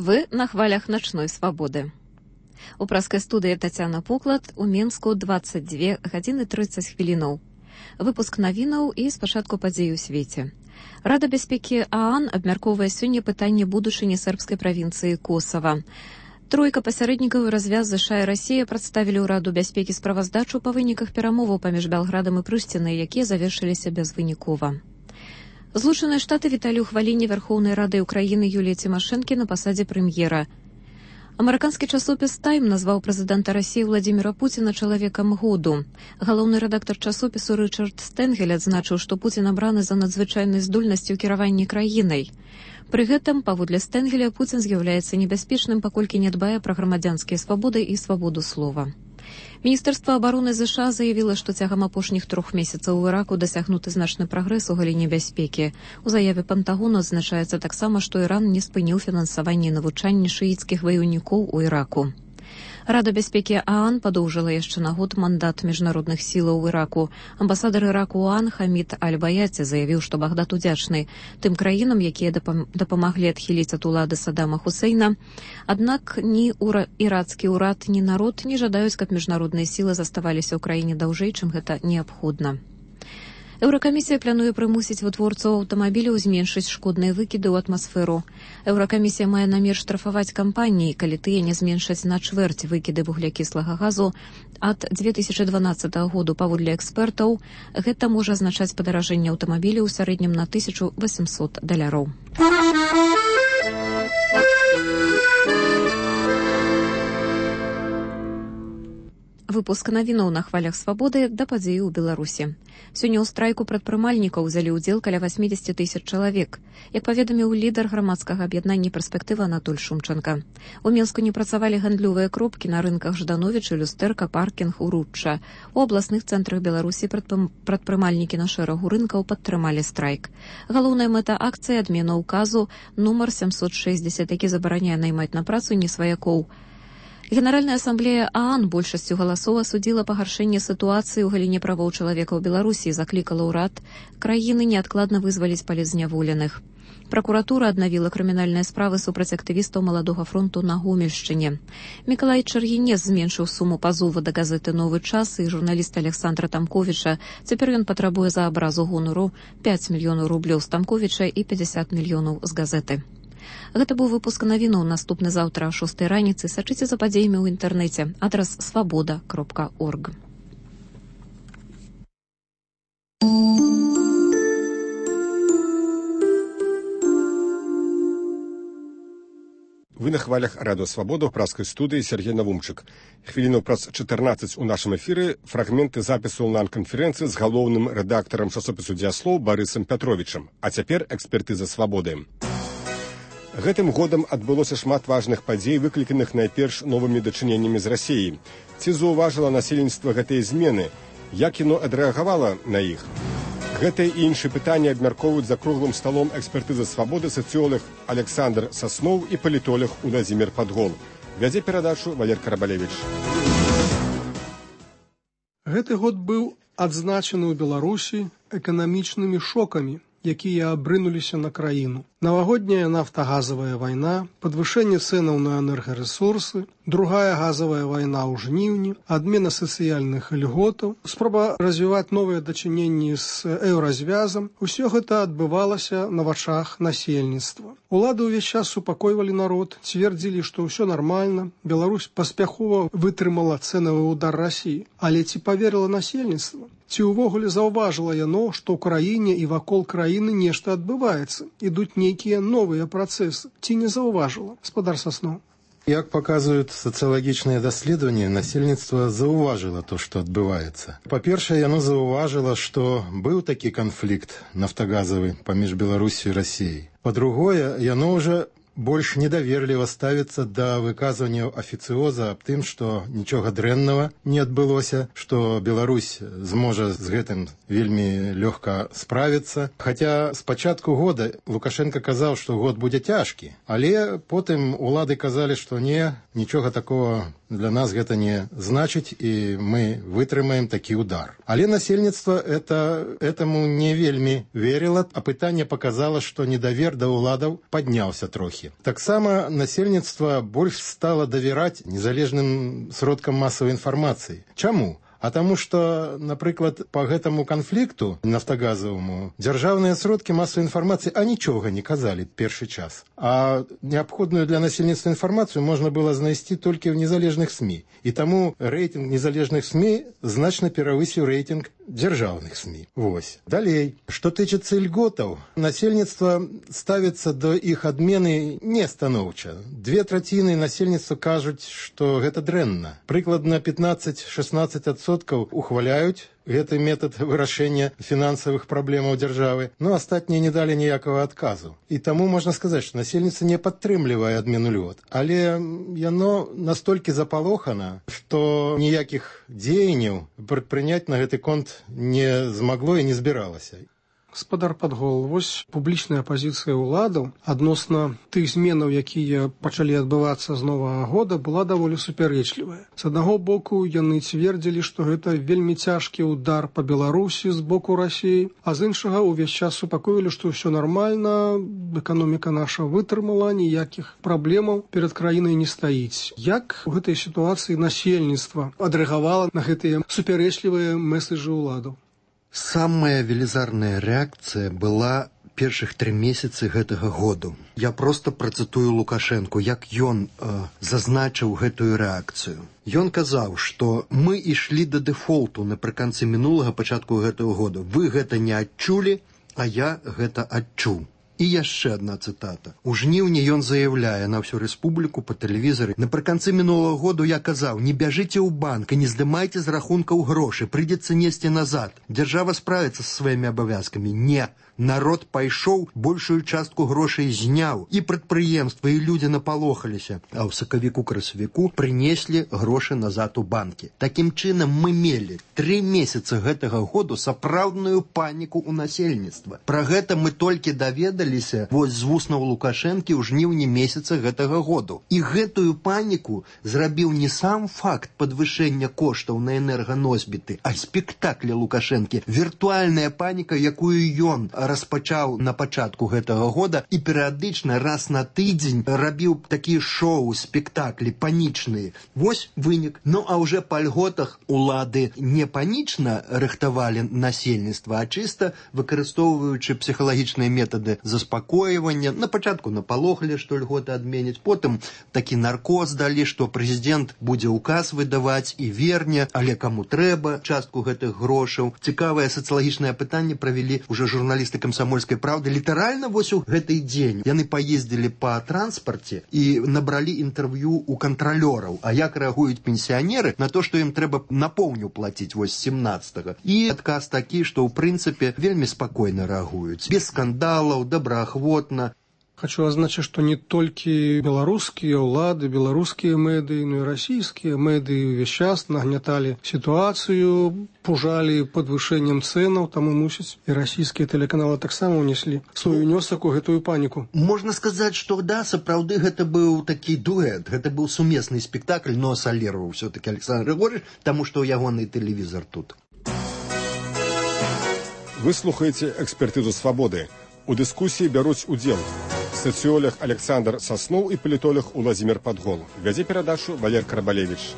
Speaker 4: Вы на хвалях начной свободы. У праскай студыі Тацяна Поклад, у Менску 22 гадзіны 30 хвілінаў. Выпуск навінаў і спачатку падзей у свеце. Рада бяспекі ААН абмяркоўвае сёння пытанне будучыні сербскай правінцыі Косава. Тройка пасярэднікаў развяз ЗША і Расія прадставілі ў Раду бяспекі справаздачу па выніках перамоваў паміж Белградам і Прыштінай, якія завершыліся безвынікова. Злучаныя Штаты віталі ўхваленне Вярхоўнай Рады Украіны Юліі Цімашэнкі на пасадзе прэм'ера. Амерыканскі часопіс «Тайм» назваў прэзідэнта Расіі Владзіміра Пуціна чалавекам году. Галоўны рэдактар часопісу Рычард Стэнгель адзначыў, што Пуцін абраны за надзвычайнай здольнасці ў кіраванні краінай. Пры гэтым, паводле Стэнгеля, Пуцін з'яўляецца небяспечным, паколькі не дбае пра грамадзянскія свабоды і свабоду слова. Міністэрства абароны ЗША заявіла, што цягам апошніх 3 месяцаў у Іраку дасягнуты значны прагрэс у галіне бяспекі. У заяве Пентагону адзначаецца таксама, што Іран не спыніў фінансаванне навучання шыіцкіх ваёўнікоў у Іраку. Рада бяспекі ААН падоўжыла яшчэ на год мандат міжнародных сілаў у Іраку. Амбасадар Іраку у ААН Хамід Аль-Баяці заявіў, што Багдад удзячны тым краінам, якія дапамаглі адхіліць ад улады Саддама Хусейна. Аднак ні ірацкі ўрад, ні народ не жадаюць, каб міжнародныя сілы заставаліся ў краіне даўжэй, чым гэта неабходна. Еўракамісія плануе прымусіць вытворцаў аўтамабіляў зменшыць шкодныя выкіды ў атмасферу. Еўракамісія мае намер штрафаваць кампаніі, калі тыя не зменшаць на чвэрць выкіды вуглякіслага газу ад 2012 году. Паводле экспертаў, гэта можа азначаць падаражэнне аўтамабіляў у сярэднім на $1800. Выпуск навінаў на хвалях свабоды да падзеі ў Беларусі. Сёння ў страйку прадпрымальнікаў узялі ўдзел каля 80 000 чалавек. Як паведаміў лідар грамадскага аб'яднання «Перспектыва» Анатоль Шумченко. У Менску не працавалі гандлёвыя кропкі на рынках Ждановіча, Люстэрка, Паркінг, Уручча. У абласных цэнтрах Беларусі прадпрымальнікі на шэрагу рынкаў падтрымалі страйк. Галоўная мэта акцыі — адмена ўказу нумар 760, які забараняе наймаць на працу несваякоў. Генеральная асамблея ААН большасцю галасоў асудзіла пагаршэнне сітуацыі ў галіне правоў чалавека ў Беларусі і заклікала ўрад краіны неадкладна вызваліць палітзняволеных. Пракуратура аднавіла крымінальныя справы супраць актывістаў Маладога фронту на Гомельшчыне. Мікалай Чаргінец зменшыў суму пазова да газеты «Новы час» і журналіста Александра Тамковіча. Цяпер ён патрабуе за абразу гонару 5 мільёнаў рублёў з Тамковіча і 50 мільёнаў з газеты. Гэта быў выпуск навінаў. Наступны заўтра о 6 раніцы. Сачыце за падзеямі ў інтэрнэце. Адрас свабода.орг.
Speaker 5: Вы на хвалях Радыё Свабода ў праскай студыі Сергей Навумчык. Хвіліну праз 14 у нашым эфіры фрагменты запісу онлайн-канферэнцыі з галоўным рэдактарам часопісу «Дзеяслоў» Барысам Пятровічам. А цяпер экспертыза свабоды. Гэтым годам адбылося шмат важных падзей, выкліканых найперш новымі дачыненнямі з Расіяй. Ці заўважыла насельніцтва гэтыя змены? Як яно адрэагавала на іх? Гэтыя і іншыя пытанні абмяркоўваюць за круглым сталом экспертызы свабоды сацыёлог Александр Сасноў і палітолог Уладзімір Падгол. Вядзе перадачу Валер Карабалевіч.
Speaker 7: Гэты год быў адзначаны ў Беларусі эканамічнымі шокамі, якія абрынуліся на краіну. Навагодняя нафтагазавая вайна, падвышэнне цэнаў на энергарэсурсы, другая газавая вайна ў жніўні, адмена сацыяльных льготаў, спроба развіваць новыя дачыненні з еўразвязам — усё гэта адбывалася на вачах насельніцтва. Улады ўвесь час супакойвалі народ, цвердзілі, што ўсё нармальна, Беларусь паспяхова вытрымала цэнавы ўдар Расіі. Але ці паверыла насельніцтва? Ці ўвогуле заўважыла яно, што ў краіне і вакол краіны нешта адбываецца, ідуць нейкія новыя працэсы, ці не заўважыла, гаспадар Сасноў?
Speaker 9: Як показывают социологичные исследования, насельніцтва заўважыла то, что адбываецца. Па-першае, яно заўважыла, што быў такі канфлікт нафтагазавы паміж Беларусью і Расіяй. Па-другое, яно ўжо больш недаверліва ставіцца да выказванняў афіцыоза аб тым, што нічога дрэннага не адбылося, што Беларусь зможа з гэтым вельмі лёгка справіцца. Хаця з пачатку года Лукашенко казаў, што год будзе цяжкі, але потым улады казалі, што не, нічога такого для нас гэта не значыць, і мы вытрымаем такі удар. Але насельніцтва этому не вельмі верыла, а пытанне показала, што недавер да уладаў падняўся трохі. Таксама насельніцтва больш стала давяраць незалежным сродкам масавай інфармацыі. Чаму? А таму што, напрыклад, па гэтаму канфлікту нафтагазаваму дзяржаўныя сродкі масавай інфармацыі нічога не казалі першы час. А неабходную для насельніцтва інфармацыю можна было знайсці толькі ў незалежных СМІ. І таму рэйтынг незалежных СМІ значна перавысіў рэйтынг дзяржаўных СМІ. Вось. Далей. Што тычыцца льготаў, насельніцтва ставіцца да іх адмены не станоўча. 2/3 насельніцтва кажуць, што гэта дрэнна. Прыкладна 15-16% ухваляюць гэты метад вырашэння фінансавых праблемаў дзяржавы, но астатнія не далі ніякага адказу. І таму можна сказаць, што насельніцтва не падтрымлівае адмену льгот, але яно настолькі запалохана, што ніякіх дзеянняў прадпрыняць на гэты конт не змагло і не збіралася.
Speaker 7: Гаспадар Падгол, вось публічная пазіцыя ўладаў адносна тых зменаў, якія пачалі адбывацца з новага года, была даволі супярэчлівая. З аднаго боку, яны цвердзілі, што гэта вельмі цяжкі ўдар па Беларусі з боку Расіі, а з іншага ўвесь час супакоілі, што ўсё нармальна, эканоміка наша вытрымала, ніякіх праблемаў перад краінай не стаіць. Як у гэтай сітуацыі насельніцтва адрэагавала на гэтыя супярэчлівыя месседжы ўладаў?
Speaker 13: Самая велізарная рэакцыя была першых 3 месяцы гэтага году. Я проста працытую Лукашенку, як ён зазначыў гэтую рэакцыю. Ён казаў, што мы ішлі да дэфолту напрыканцы мінулага пачатку гэтага года. Вы гэта не адчулі, а я гэта адчуў. І яшчэ адна цытата. У жніўні ён заяўляе на ўсю рэспубліку па тэлевізары: напрыканцы мінулага году я казаў, не бяжыце ў банк і не здымайце з рахункаў грошы, прыйдзецца несці назад. Дзяржава справіцца са сваімі абавязкамі. Не. Народ пайшоў, большую частку грошай зняў, і прадпрыемствы, і людзі напалохаліся, а ў сакавіку-красавіку прынеслі грошы назад у банкі. Такім чынам мы мелі 3 месяцы гэтага году сапраўдную паніку ў насельніцтва. Пра гэта мы толькі даведаліся вось з вуснаў Лукашэнкі ў жніўні месяца гэтага году. І гэтую паніку зрабіў не сам факт падвышэння коштаў на энерганосьбіты, а спектаклі Лукашэнкі. Віртуальная паніка, якую ён распачаў на пачатку гэтага года і перыядычна раз на тыдзень рабіў такія шоу, спектаклі панічныя. Вось вынік. Ну а ўжо па льготах улады не панічна рыхтавалі насельніцтва, а чыста выкарыстоўваючы псіхалагічныя метады заспакойвання. На пачатку напалохалі, што льготы адменяць, потым такі наркоз далі, што прэзідэнт будзе ўказ выдаваць і верне, але каму трэба частку гэтых грошаў. Цікавае сацыялагічнае пытанне правялі ўжо журналісты камсамольскай правды. Літаральна вось у гэты дзень яны паездзілі па транспарце і набралі інтэрв'ю у кантралёраў. А як рэагуюць пенсіянеры на то, што ім трэба на поўню плаціць вось 17-го. І адказ такі, што ў прынцыпе вельмі спакойна рэагуюць. Без скандалаў, добраахвотна.
Speaker 7: Хочу адзначыць, што не толькі беларускія ўлады, беларускія медыі, но і расійскія медыі ўвесь час нагняталі сітуацыю, пужалі падвышэннем цэнаў, таму мусіць і расійскія тэлеканалы таксама ўнеслі свой унёсак у гэтую паніку.
Speaker 13: Можна сказаць, што да, сапраўды гэта быў такі дуэт, гэта быў сумесны спектакль, но саліраваў ўсё-такі Александр Григорьевич, таму што ягоны тэлевізар тут.
Speaker 5: Вы слухаеце экспертызу свабоды. У дыскусіі бяруць удзел сацыолог Александр Сасноў і палітолог Уладзімір Падгол. Вядзе перадачу Валер Карабалевіч.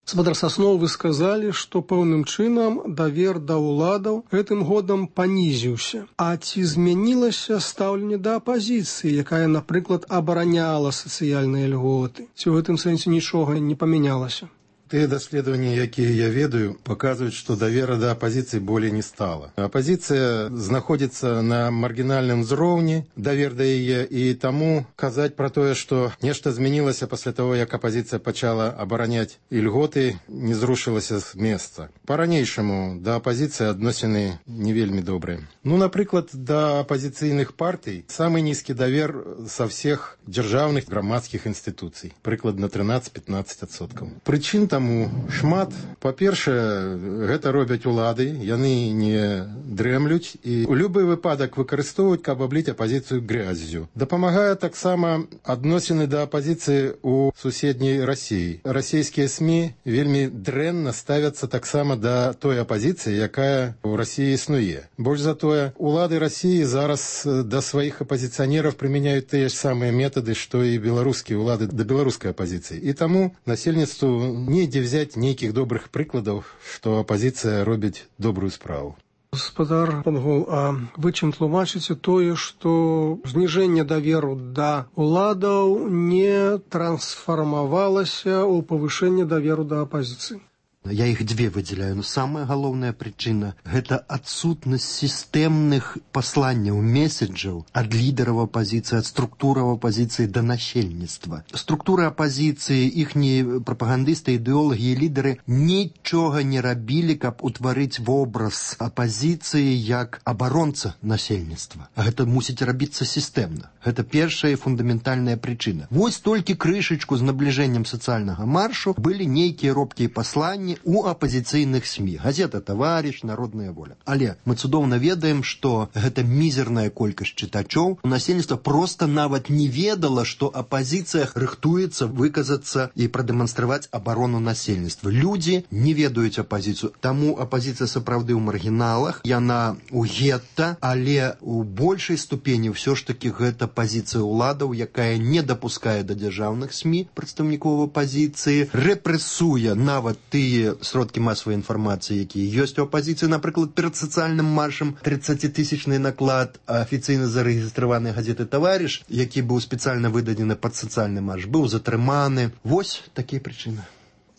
Speaker 7: Гаспадар Сасноў, вы сказалі, што пэўным чынам давер да ўладаў гэтым годам панізіўся. А ці змянілася стаўленне да апазіцыі, якая, напрыклад, абараняла сацыяльныя льготы? Ці ў гэтым сэнсе нічога не памянялася?
Speaker 9: Те даследаванні, якія я ведаю, паказваюць, што давера да апазіцыі болей не стала. Апазіцыя знаходзіцца на маргінальным узроўні, давер да яе, і таму казаць пра тое, што нешта змянілася пасля таго, як апазіцыя пачала абараняць ільготы, не зрушылася з месца. Па-ранейшаму да апазіцыі адносіны не вельмі добрыя. Ну, напрыклад, да апазіцыйных партый самы нізкі давер са всех дзяржаўных грамадскіх інстытуцый, прыкладна 13-15%. Прычын таму шмат. Па-першае, гэта робяць улады, яны не дрэмлюць і ў любы выпадак выкарыстоўваюць, каб абліць апазіцыю гряззю. Дапамагае таксама адносіны да апазіцыі ў суседняй Расіі. Расійскія СМІ вельмі дрэнна ставяцца таксама да той апазіцыі, якая ў Расіі існуе. Больш за тое, улады Расіі зараз да сваіх апазіцыянераў прымяняюць тыя ж самыя метады, што і беларускія улады да беларускай апазіцыі. І таму насельніцтву недзе взять нейкіх добрых прыкладаў, што апазіцыя робіць добрую справу.
Speaker 7: Гаспадар Пангол, а вы чым тлумачыце тое, што зніжэнне даверу да уладаў не трансфармавалася ў павышэнне даверу да апазіцыі?
Speaker 13: Я их две выделяю, но самая галоўная причина – это отсутность системных посланняў, месседжаў от лидеров оппозиции, от структуры оппозиции до насельніцтва. Структуры оппозиции, ихние пропагандисты, идеологи и лидеры ничего не рабілі, каб утварыць вобраз оппозиции як абаронца насельніцтва. А гэта мусіць рабіцца системно. Это первая и фундаментальная причина. Вось толькі крышечку з набліжэннем социального маршу были нейкія робкія посланні у апозіцыйных СМІ. Газета «Таварыш», «Народная воля». Але мы цудоўна ведаем, што гэта мізерная колькасць чытачоў. Насельніцтва проста нават не ведала, што апозіцыя рыхтуецца выказацца і прадэманстраваць абарону насельніцтва. Людзі не ведаюць апозіцыю. Таму апозіцыя сапраўды ў маргіналах, яна ў гетта, але ў большай ступені ўсё ж такі гэта пазіцыя ўладаў, якая не дапускае да дзяржаўных СМІ прадстаўнікоў апозіцыі, рэпрэсуе нават тыя сродкі масавай інфармацыі, якія ёсць у апозіцыі. Напрыклад, перад сацыяльным маршам 30-тысячны наклад афіцыйна зарэгістраванай газеты «Таварыш», які быў спецыяльна выдадзены пад сацыяльны марш, быў затрыманы. Вось такія прычыны.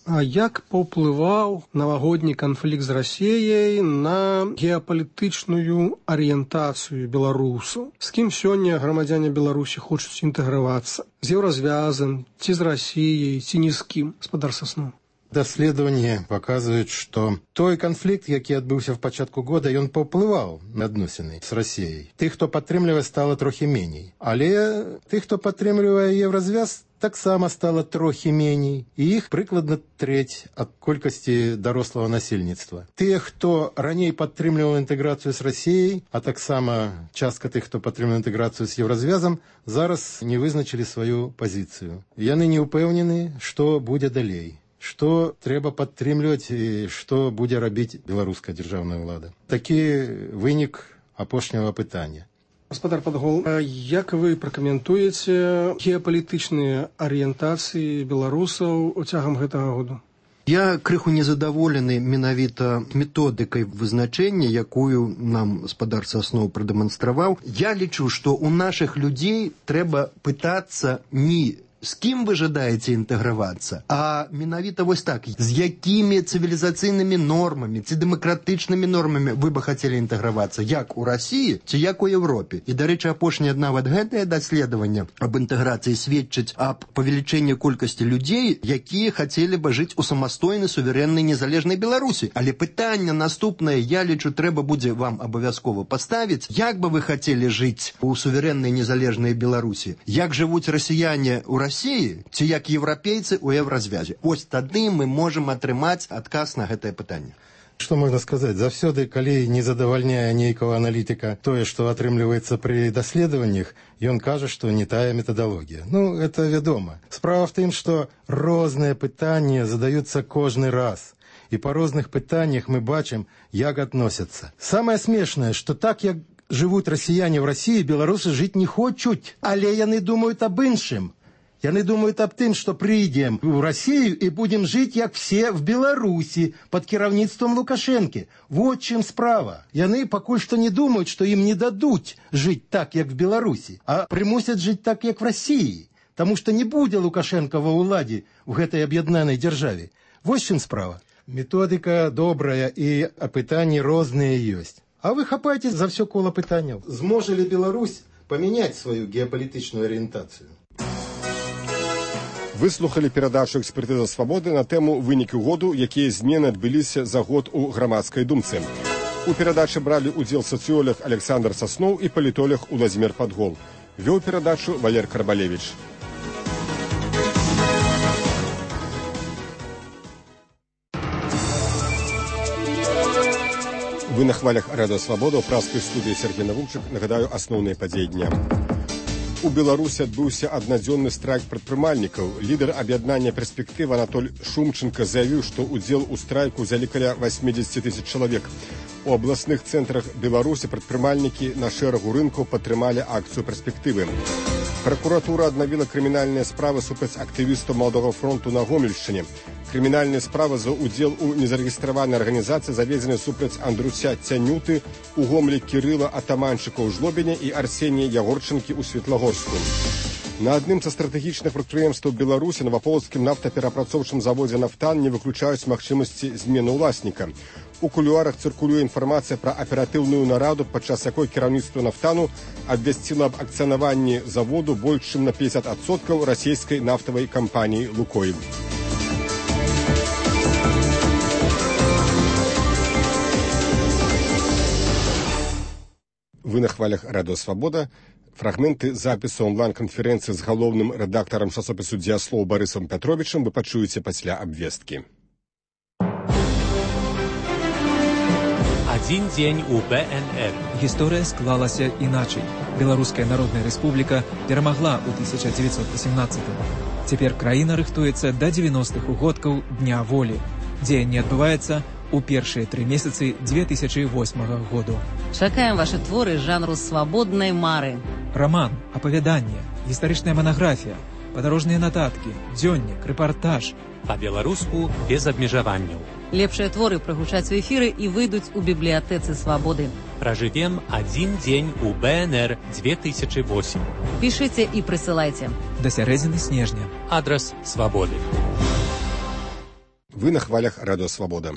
Speaker 7: А як паўплываў навагодні канфлікт з Расіяй на геапалітычную арыентацыю беларусаў? З кім сёння грамадзяне Беларусі хочуць інтэгравацца? З еўразвязам, ці з Расіяй, ці ні з кім? Гаспадар Сасноў.
Speaker 9: Даследаванні паказваюць, што той канфлікт, які адбыўся в пачатку года, ён паўплываў на адносіны з Расіяй. Тых, хто падтрымлівае, стала трохі меней. Але тых, хто падтрымлівае еўразвяз, таксама стала трохі меней. І іх прыкладна трэць ад колькасці дарослага насельніцтва. Тыя, хто раней падтрымліваў інтэграцыю з Расіяй, а таксама частка тых, хто падтрымліваў інтэграцыю з еўразвязам, зараз не вызначылі сваю пазіцыю. Яны не ўпэўнены, што будзе далей. Што трэба падтрымліваць і што будзе рабіць беларуская дзяржаўная ўлада. Такі вынік апошняга пытання.
Speaker 7: Гаспадар Пангол, як вы пракаментуеце геапалітычныя арыентацыі беларусаў цягам гэтага году?
Speaker 13: Я крыху незадаволены менавіта методыкай вызначэння, якую нам гаспадар Сасноў прадэманстраваў. Я лічу, што ў нашых людзей трэба пытацца не з кім вы жадаеце інтэгравацца, а менавіта вось так, з якімі цывілізацыйнымі нормамі ці дэмакратычнымі нормамі вы бы хацелі інтэгравацца, як у Расіі ці як у Еўропе. І, дарэчы, апошняе нават гэтае даследаванне аб інтэграцыі сведчыць аб павелічэнні колькасці людзей, якія хацелі бы жыць у самастойнай, суверэннай, незалежнай Беларусі. Але пытанне наступнае, я лічу, трэба будзе вам абавязкова паставіць, як бы вы хацелі жыць у суверэннай, незалежнай Беларусі, як жывуць расіяне ў Расіі, ці як еўрапейцы ў еўразвязе. Ось тады мы можам атрымаць адказ на гэтае пытанне.
Speaker 9: Што можна сказаць? Заўсёды, калі не задавальняе нейкага аналітыка тое, што атрымліваецца пры даследаваннях, ён кажа, што не тая метадалогія. Ну, это вядома. Справа в тым, што розныя пытанні задаюцца кожны раз. І па розных пытаннях мы бачым, як адносяцца. Самае смешнае, што так, як жывуць расіяне ў Расіі, беларусы жыць не хочуць, але яны думаюць аб іншым. Яны думаюць аб тым, што прыйдзем у Расію і будзем жыць, як все в Беларусі, пад кіраўніцтвам Лукашэнкі. Вот чым справа. Яны пакуль што не думаюць, што ім не дадуць жыць так, як в Беларусі, а прымусяць жыць так, як в Расіі. Таму што не будзе Лукашэнка ва ўладзе ў гэтай аб'яднанай дзяржаве. Вось чым справа. Методыка добрая і апытанні розныя ёсць. А вы хапаеце за ўсё кола пытанняў. Зможа ли Беларусь памяняць сваю геапалітычную арыентацыю?
Speaker 5: Выслухалі перадачу «Экспертыза свабоды» на тэму вынікі году, якія змены адбыліся за год у грамадскай думцы. У перадачы бралі ўдзел сацыёлог Александр Сасноў і палітолог Уладзімір Падгол. Вёў перадачу Валер Карбалевіч. Вы на хвалях Радыё Свабода, ў праскай студыі Сергей Навумчык. Нагадаю, асноўныя падзеі дня. У Беларусі адбыўся аднадзённы страйк прадпрымальнікаў. Лідар аб'яднання «Перспектыва» Анатоль Шумченко заявіў, што ўдзел у страйку ўзялі каля 80 тысяч чалавек. У абласных цэнтрах Беларусі прадпрымальнікі на шэрагу рынкаў падтрымалі акцыю «Перспектывы». Пракуратура аднавіла крымінальныя справы супраць актывістаў Маладога фронту на Гомельшчыне. Крымінальная справа за ўдзел у незарэгістраванай арганізацыі заведзены супраць Андруся Цянюты, у Гомлі Кірыла Атаманчыка ў Жлобіне і Арсенія Ягорчынкі ў Светлагорску. На адным са стратэгічных прадпрыемстваў Беларусі Новаполацкім нафтаперапрацоўчым заводзе «Нафтан» не выключаюць магчымасці змены ўласніка. У кулуарах цыркулюе інфармацыя пра аператыўную нараду, падчас якой кіраўніцтва «Нафтану» абвясціла аб акцыянаванні заводу больш чым на 50% расійскай нафтавай кампаніі «Лукойл». Вы на хвалях Радыё Свабода. Фрагменты запісу онлайн-канферэнцыі з галоўным рэдактарам часопісу «Дзеяслоў» Барысам Пятровічам вы пачуеце пасля абвесткі.
Speaker 14: Один день у БНР.
Speaker 15: Гісторыя склалася іначай. Беларуская Народная Рэспубліка перамагла ў 1918-м. Цяпер краіна рыхтуецца да 90-х угодкаў Дня волі. Дзеянне адбываецца у першыя 3 месяцы 2008 году.
Speaker 16: Чакаем ваши творы жанру свабоднай мары.
Speaker 15: Роман, апавяданне, гістарычная манаграфія, падарожныя нататкі, дзённік, рэпартаж.
Speaker 14: Па-беларуску без абмежаванняў.
Speaker 16: Лепшыя творы прагучаць у эфіры і выйдуць у бібліятэцы свабоды.
Speaker 14: Пражывем один дзень у БНР 2008.
Speaker 16: Пішыце і прысылайце.
Speaker 15: Да сярэдзіны снежня.
Speaker 14: Адрас свабоды.
Speaker 5: Вы на хвалях Радыё Свабода.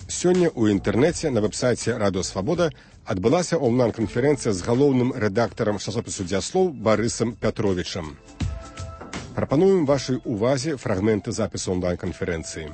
Speaker 5: Сёння ў інтэрнэце на вэб-сайце Радыё Свабода адбылася онлайн-канферэнцыя з галоўным рэдактарам часопісу «Дзеяслоў» Барысам Пятровічам. Прапануем вашай увазе фрагменты запісу онлайн-канферэнцыі.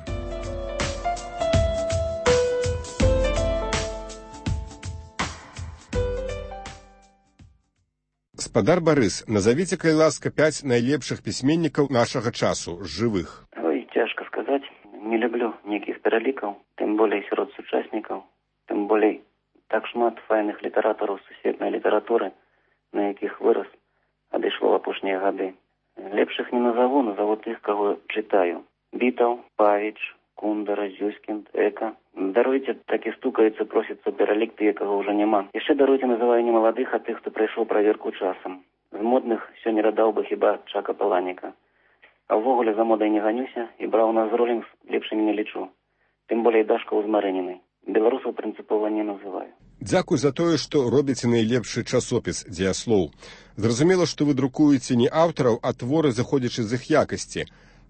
Speaker 5: Спадар Барыс, назовите, калі ласка, 5 найлепшых пісьменнікаў нашага часу, жывых.
Speaker 18: Ой, цяжка сказаць. Не люблю нейкіх пералікаў, тым болей сярод сучаснікаў, тым болей так шмат файных літаратараў сусветнай літаратуры, на якіх вырас, адышло в апошнія гады. Лепшых не назову тых, каго чытаю. Бітаў, Павіч, Кундара, Зюскінд, Эка. Даруйце, так і стукаецца, просіцца пералік тыя, каго ўжо няма. Яшчэ даруйце, называю не маладых, а тых, хто прайшоў праверку часам. З модных сёння радаў бы хіба Чака Паланіка. А ўвогуле за модай не ганюся і браў нас з Ролінгс лепшымі не лічу. Тым болей Дашкаў з Марынінай. Беларусаў прынцыпова не называю.
Speaker 5: Дзякуй за тое, што робіце найлепшы часопіс «Дзеяслоў». Зразумела, што вы друкуеце не аўтараў, а творы, заходзячы з іх якасці.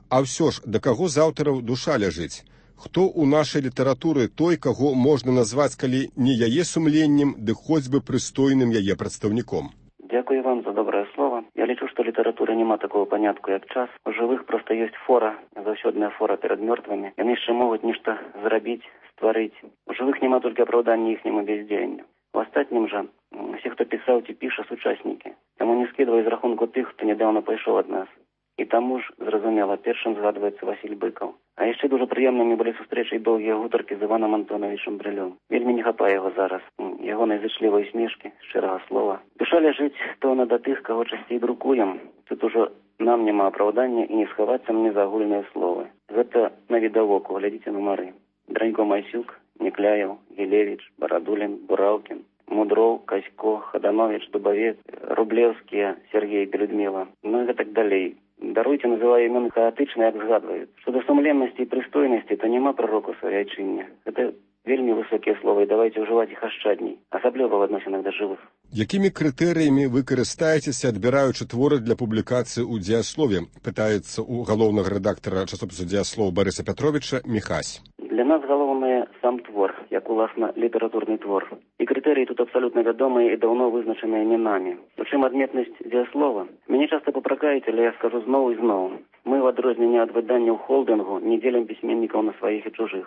Speaker 5: А ўсё ж, да каго з аўтараў душа ляжыць? Хто ў нашай літаратуры той, каго можна назваць, калі не яе сумленнем, ды хоць бы прыстойным яе прадстаўніком?
Speaker 18: Дякую вам за добрае слово. Я лічу, што літаратуры няма такого панятку, як час. У жывых проста ёсць фора, заўсёдная фора перад мёртвымі. Яны яшчэ могуць нешта зрабіць, стварыць. У жывых няма толькі апраўдання іхняму бездзеянню. У астатнім жа, усе, хто пісаў ці піша, сучаснікі. Таму не скідвай з рахунку тых, хто нядаўна пайшоў ад нас. І таму ж, зразумела, першым згадваецца Васіль Быкаў. А яшчэ дуже прыемнымі былі сустрэчы і доўгія гутаркі з Іванам Антоновичем Брылём. Вельмі не хапае яго зараз. Яго найзычлівай смешкі, шчырага слова. Душа ляжыць пэўна да тых, каго часцей друкуем. Тут ужо нам няма апраўдання і не схавацца мне за агульныя словы. Гэта навідавоку, глядзіце нумары. Дранько Масюк, Некляеў, Гілевіч, Барадулін, Бураўкін, Мудроў, Касько, Хаданович, Дубавец, Рублеўскія, Сергей, Людмила. Ну і гэтак далей. Даруйце, называю імёны хаатычна, як згадваюць. Што да сумленнасці і прыстойнасці, то няма прароку сваяйчыння. Гэта вельмі высокія словы, і давайте ўжываць іх ашчадней, асабліва ў адносінах да жывых.
Speaker 5: Якімі крытэрыямі вы карыстаецеся, адбіраючы творы для публікацыі ў дзеяслове, пытаецца у галоўнага рэдактара часопісу «Дзеяслоў» Барыса Пятровіча Міхась.
Speaker 18: Для нас галоўнае сам твор, як уласна літаратурны твор. І крытэрыі тут абсалютна вядомыя і даўно вызначаныя не намі. Прычым адметнасць дзеяслова. Мяне часта папракаюць, але я скажу зноў і зноў. Мы, в адрозненне ад выданняў холдынгу, не дзелім пісьменнікаў на сваіх і чужых.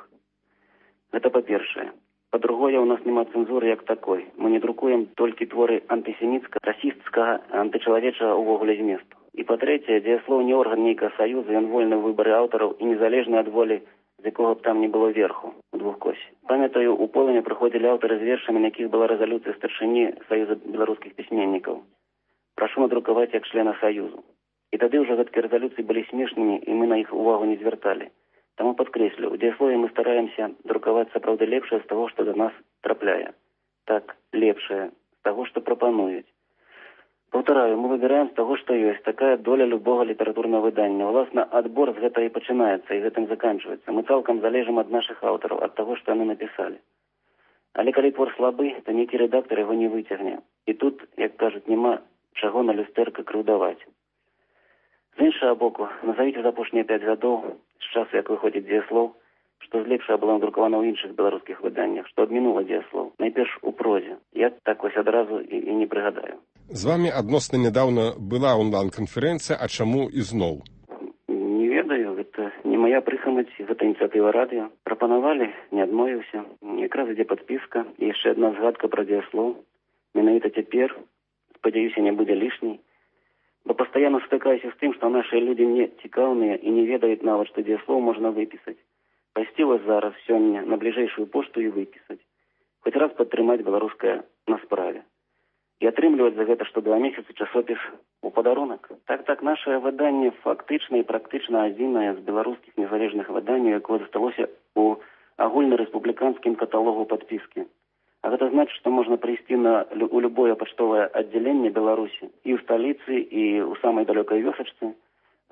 Speaker 18: Гэта па-першае. Па-другое, у нас няма цэнзуры як такой. Мы не друкуем толькі творы антысеміцкага, расісцкага, антычалавечага ўвогуле зместу. І па-трэцяе, дзеяслоў не орган нейкага саюза, ён вольны ў выбары аўтараў і незалежны ад волі, з якога б там не было верху у двухкосе. Памятаю, у Полыне прыходзілі аўтары з вершамі, на якіх была рэзалюцыя старшыні Саюза беларускіх пісьменнікаў. Прашу надрукаваць як члена Саюзу. І тады ўжо гэткія рэзалюцыі былі смешнымі, і мы на іх увагу не звярталі. Таму падкрэслю, у дзеяслове мы стараемся друкаваць сапраўды лепшае з таго, што да нас трапляе. Так, лепшае з таго, што прапануюць. Паўтараю, мы выбіраем з таго, што ёсць. Такая доля любога літаратурнага выдання. Уласна, адбор з гэтага і пачынаецца, і гэтым заканчваецца. Мы цалкам залежым ад нашых аўтараў, ад таго, што яны напісалі. Але калі твор слабы, то нейкі рэдактар яго не выцягне. І тут, як кажуць, няма чаго на люстэрка крыўдаваць. З іншага боку, назавіце за апошнія 5 гадоў, з часу, як выходзіць дзеяслоў, што з лепшага было надрукавана ў іншых беларускіх выданнях, што адмінула дзеяслоў. Найперш у прозе. Я так вось адразу і не прыгадаю.
Speaker 5: З вамі адносна нядаўна была онлайн-канферэнцыя, а чаму ізноў?
Speaker 18: Не ведаю, гэта не мая прыхамаць, гэта ініцыятыва радыё. Прапанавалі, не адмовіўся. Якраз ідзе падпіска і яшчэ адна згадка пра дзеяслоў. Менавіта цяпер, спадзяюся, не будзе лішняй. Бо пастаянна стыкаюся з тым, што нашыя людзі не цікаўныя і не ведаюць нават, што дзеяслоў можна выпісаць. Пайсці вас зараз сёння на бліжэйшую пошту і выпісаць. Хоць раз падтрымаць беларускае на справе. І атрымліваць за гэта што 2 месяцы часопіс у падарунак. Так, нашае выданне фактычна і практычна адзінае з беларускіх незалежных выданняў, якое засталося ў агульнарэспубліканскім каталогу падпіскі. А гэта значыць, што можна прыйсці у любое пачтовае аддзяленне Беларусі і ў сталіцы, і ў самай далёкай вёсачцы,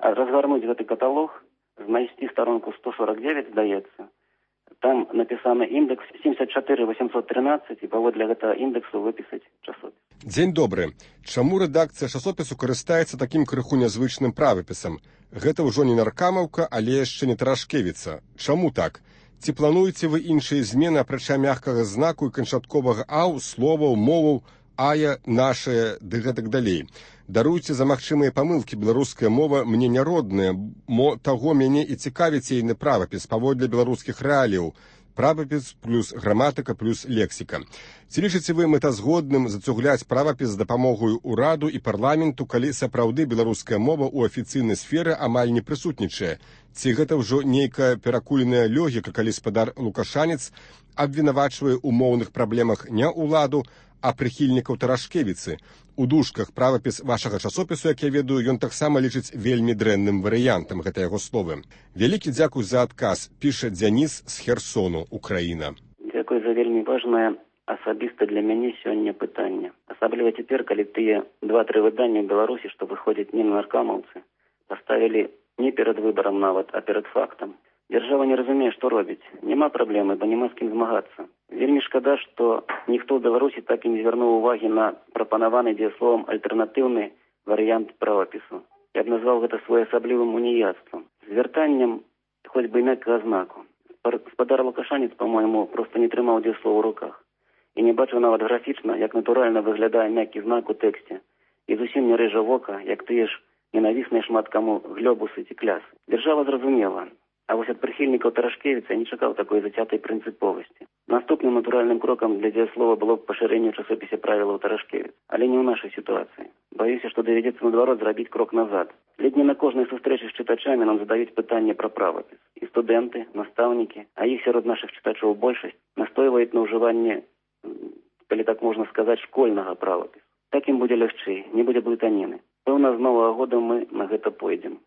Speaker 18: а разгарнуць гэты каталог, знайсці старонку 149, здаецца. Там напісаны índex 74813, і паводле гэтага індексу выпісаць часопіс.
Speaker 5: Дзень добры. Чаму рэдакцыя часопісу карыстаецца такім крыху нязвычным правапісам? Гэта ўжо не наркамаўка, але яшчэ не Тарашкевіца. Чаму так? Ці плануеце вы іншыя змены, апрача мяккага знаку і канчатковага аў, словаў, моваў, ая, нашая, ды гэтак далей? Даруйце за магчымыя памылкі, беларуская мова мне няродная, таго мяне і цікавіць ейны правапіс паводле беларускіх рэаліяў. Правапіс плюс граматыка плюс лексіка. Ці лічыце вы мэтазгодным зацугляць правапіс з дапамогаю ўраду і парламенту, калі сапраўды беларуская мова ў афіцыйнай сферы амаль не прысутнічае? Ці гэта ўжо нейкая перакуленая логіка, калі спадар Лукашанец абвінавачвае ў моўных праблемах не ўладу, а прыхільнікаў Тарашкевіцы? У дужках правапіс вашага часопісу, як я ведаю, ён таксама лічыць вельмі дрэнным варыянтам, гэта яго словы. Вялікі дзякуй за адказ, піша Дзяніс з Херсону, Украіна.
Speaker 18: Дзякуй за вельмі важнае асабіста для мяне сёння пытанне. Асабліва цяпер, калі тыя 2-3 выдання ў Беларусі, што выходзяць не на наркамаўцы, паставілі не перад выбарам нават, а перад фактам. Дзяржава не разумее, што робіць. Няма праблемы, бо няма з кім змагацца. Вельмі шкада, што ніхто ў Беларусі так і не звярнуў увагі на прапанаваны дзеясловам альтэрнатыўны варыянт правапісу. Я б назваў гэта своеасаблівым уніяцтвам. Звяртаннем хоць бы і мяккага знаку. Спадар Лукашанец, па-мойму, проста не трымаў дзеяслоў у руках. І не бачыў нават графічна, як натуральна выглядае мяккі знак у тэксце. І зусім не рэжа вока, як тыя ж ненавісныя шмат каму глёбусы ці клясы. Дзяржава зразумела. А вось ад прыхільнікаў Тарашкевіца не чакаў такой зацятай прынцыповасці. Наступным натуральным крокам для дзеяслова было б пашырэнне ў часопісе правілаў Тарашкевіц, але не ў нашай сітуацыі. Баюся, што давядзецца наадварот зрабіць крок назад. Ледь не на кожнай сустрэчы з чытачамі нам задаюць пытанне пра правапіс. І студэнты, настаўнікі, а іх сярод нашых чытачоў большасць, настойваюць на ўжыванне, калі так можна сказаць, школьнага правапісу. Так ім будзе лягчэй, не будзе блытаніны. Пэўна, з новага года мы на гэта пойдзем.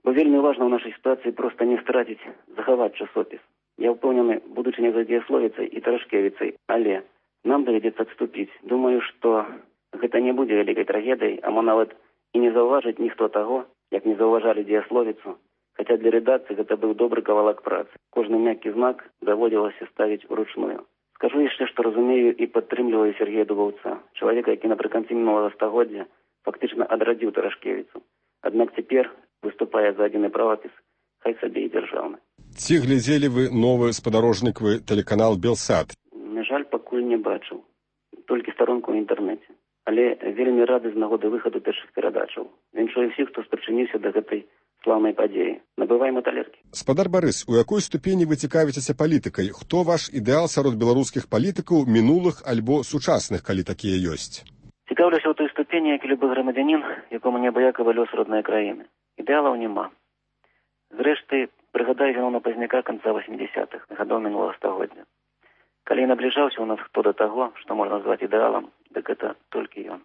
Speaker 18: Бо вельмі важна ў нашай сітуацыі проста не страціць, захаваць часопіс. Я ўпэўнены, будучыня за дзеясловіцай і Тарашкевіцай, але нам давядзецца адступіць. Думаю, што гэта не будзе вялікай трагедыяй, а мо нават і не заўважыць ніхто таго, як не заўважалі дзеясловіцу, хаця для рэдакцыі гэта быў добры кавалак працы. Кожны мяккі знак даводзілася ставіць уручную. Скажу яшчэ, што разумею і падтрымліваю Сергея Дубаўца, чалавека, які напрыканцы мінулага стагоддзя фактычна адрадзіў Тарашкевіцу. Аднак цяпер выступае за адзіны правапіс, хай сабе і дзяржаўны.
Speaker 5: Ці глядзелі вы новы спадарожнікавы тэлеканал «Белсат»?
Speaker 18: На жаль, пакуль не бачыў. Толькі старонку ў інтэрнэце. Але вельмі рады з нагоды выхаду першых перадачаў. Віншую всіх, хто спрычыніўся да гэтай слаўнай падзеі. Набываем талеркі.
Speaker 5: Спадар Барыс, у якой ступені вы цікавіцеся палітыкай? Хто ваш ідэал сярод беларускіх палітыкаў минулых альбо сучасных, калі такія ёсць?
Speaker 18: Цікаўлюся ў той ступені, як і любы грамадзянін, якому неабыякавы лёс роднай краіны. Ідэалаў няма. Зрэшты, прыгадаю Зіноўна Пазняка канца 80-х, гадоў мінулага стагоддзя. Калі набліжаўся ў нас хто да таго, што можна назваць ідэалам, дык гэта толькі ён.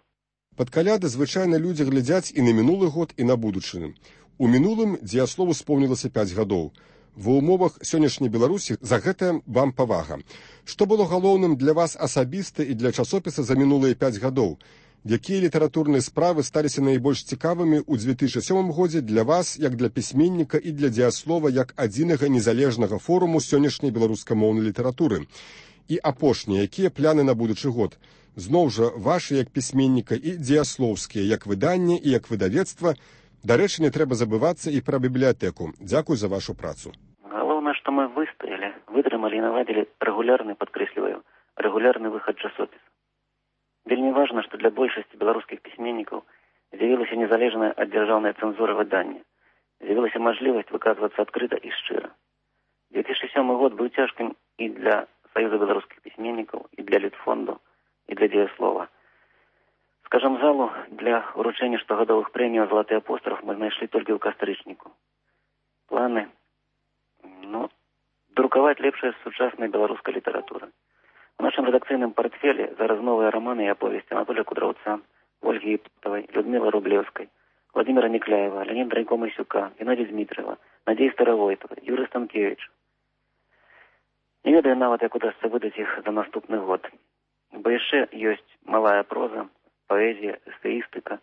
Speaker 5: Пад каляды звычайна людзі глядзяць і на мінулы год, і на будучыню. У мінулым дзеяслову споўнілася 5 гадоў. Ва ўмовах сённяшняй Беларусі за гэта вам павага. Што было галоўным для вас асабіста і для часопіса за мінулыя 5 гадоў? Якія літаратурныя справы сталіся найбольш цікавымі ў 2007 годзе для вас, як для пісьменніка і для дзеяслова, як адзінага незалежнага форуму сённяшняй беларускамоўнай літаратуры? І апошнія, якія пляны на будучы год? Зноў жа, вашы як пісьменніка і дзеяслоўскія, як выданне і як выдавецтва. Дарэчы, не трэба забывацца і пра бібліятэку. Дзякуй за вашу працу.
Speaker 18: Галоўнае, што мы выстаялі, вытрымалі і наладзілі рэгулярны, падкрэсліваю, рэгулярны выхад часопіса. Вельмі важна, што для большасці беларускіх пісьменнікаў з'явілася незалежная ад дзяржаўнай цэнзуры выдання. З'явілася мажлівасць выказвацца адкрыта і шчыра. 2007 год быў цяжкім і для Саюза беларускіх пісьменнікаў, і для Літфонду, і для дзеяслова. Скажам, залу для уручэння штогадовых прэмій «Залаты апостроф» мы знайшлі толькі ў кастрычніку. Планы, друкаваць лепшая сучасная беларуская літаратура. У нашым рэдакцыйным партфелі зараз новыя раманы і аповесці Анатолія Кудраўца, Ольгі Іпатавай, Людмілы Рублеўскай, Владимира Никляева, Леонида Драйко-Масюка, Геннадия Дмитриева, Надея Старовойтова, Юрий Станкевич. Не ведаю нават, як удасца выдаць іх за наступны год. Бо яшчэ ёсць малая проза, паэзія, эсеістыка,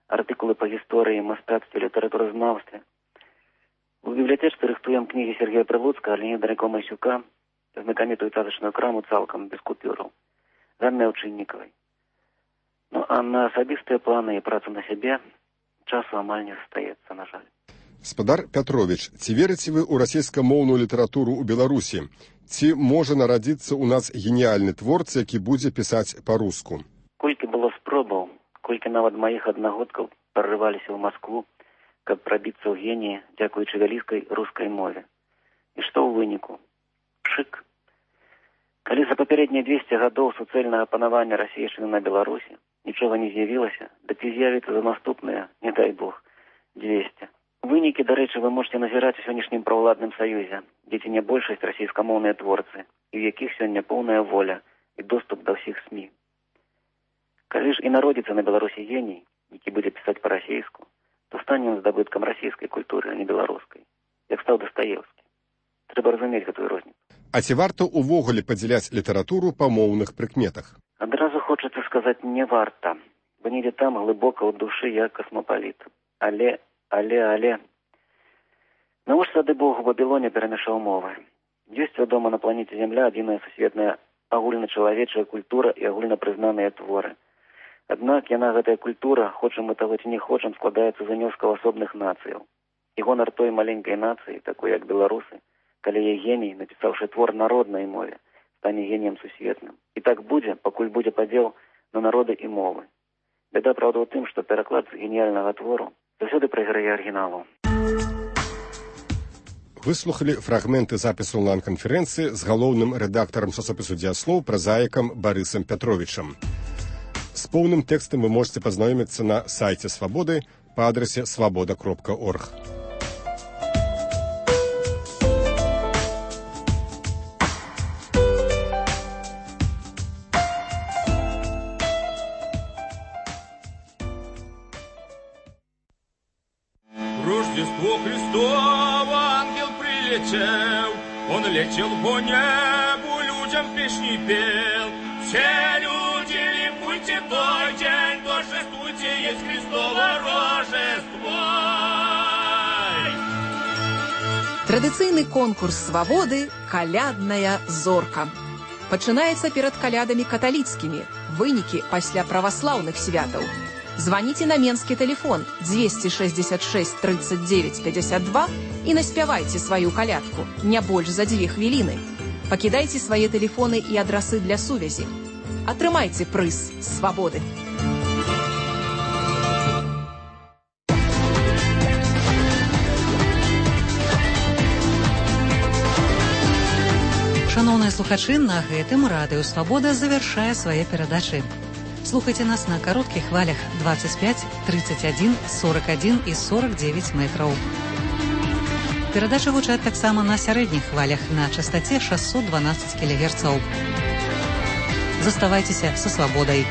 Speaker 18: артыкулы па гісторыі, мастацтве, літаратуразнаўстве. У бібліятэчцы рыхтуем кнігі Сергея Прылуцкага, Леонида Драйко-Масюка, знакамітую цацачную краму цалкам без купюраў, Ганны Аўчыннікавай. А на асабістыя планы і працу на сябе часу амаль не застаецца, на жаль.
Speaker 5: Спадар Пятрович, ці верыце вы ў расейскамоўную літаратуру ў Беларусі? Ці можа нарадзіцца ў нас геніяльны творца, які будзе пісаць па-руску?
Speaker 18: Колькі было спробаў, колькі нават маіх аднагодкаў прарываліся ў Маскву, каб прабіцца ў геніі, дзякуючы вялікай рускай мове. І што ў выніку? Пшык. Калі за папярэднія 200 гадоў суцэльнага панавання расейшчыны на Беларусі нічога не з'явілася, дык і з'явіцца за наступныя, не дай Бог, 200. Вынікі, дарэчы, вы можете назіраць у сённяшнім праўладным саюзе, дзе ці не большасць расійскамоўныя творцы, і ў якіх сёння поўная воля і доступ да ўсіх СМІ. Калі ж і народзіцца на Беларусі геній, які будзе пісаць па-расейску, то стане ён здабыткам расійскай культуры, а не беларускай, як стаў Дастаеўскі. Трэба разумець гэтую розніцу.
Speaker 5: А ці варта ўвогуле падзяляць літаратуру па моўных прыкметах?
Speaker 18: Адразу хочацца сказаць, не варта, бо недзе там глыбока ў душы я касмапаліт. Але... Навошта тады Бог у Бабілоне перамяшаў мовы? Ёсць, вядома, на планеце Зямля адзіная сусветная агульначалавечая культура і агульнапрызнаныя творы. Аднак яна, гэтая культура, хочам мы таго ці не хочам, складаецца з унёскаў асобных нацыяў. І гонар той маленькай нацыі, такой як беларусы, калі яе геній, напісаўшы твор на роднай мове, стане геніем сусветным. І так будзе, пакуль будзе падзел на народы і мовы. Бяда, правда, ў тым, што пераклад з геніяльнага твору заўсёды прайграе арыгіналу.
Speaker 5: Выслухалі фрагменты запісу онлайн-канферэнцыі з галоўным рэдактарам часопісу «Дзеяслоў» празаікам Барысам Пятровічам. З поўным тэкстам вы можете пазнаёміцца на сайце «Свабоды» па адрасе свабода.орг.
Speaker 8: Рождество Христово ангел прилетел, он летел по небу, людям песни пел. Все люди, ликуйте той день, торжествуйте, есть Христово Рождество.
Speaker 10: Традыцыйны конкурс «Свабоды» «Калядная зорка». Пачынаецца перад калядамі каталіцкімі, вынікі пасля праваслаўных святаў. Званіце на менскі тэлефон 266 39 52 і наспявайце сваю калядку, не больш за 2 хвіліны. Пакідайце свае тэлефоны і адрасы для сувязі. Атрымайце прыз свабоды.
Speaker 2: Шановныя слухачы, на гэтым радыё «Свабода» завяршае свае перадачы. Слухайце нас на кароткіх хвалях 25, 31, 41 і 49 метраў. Перадачы гучаць таксама на сярэдніх хвалях на частаце 612 кГц. Заставайцеся са свабодай.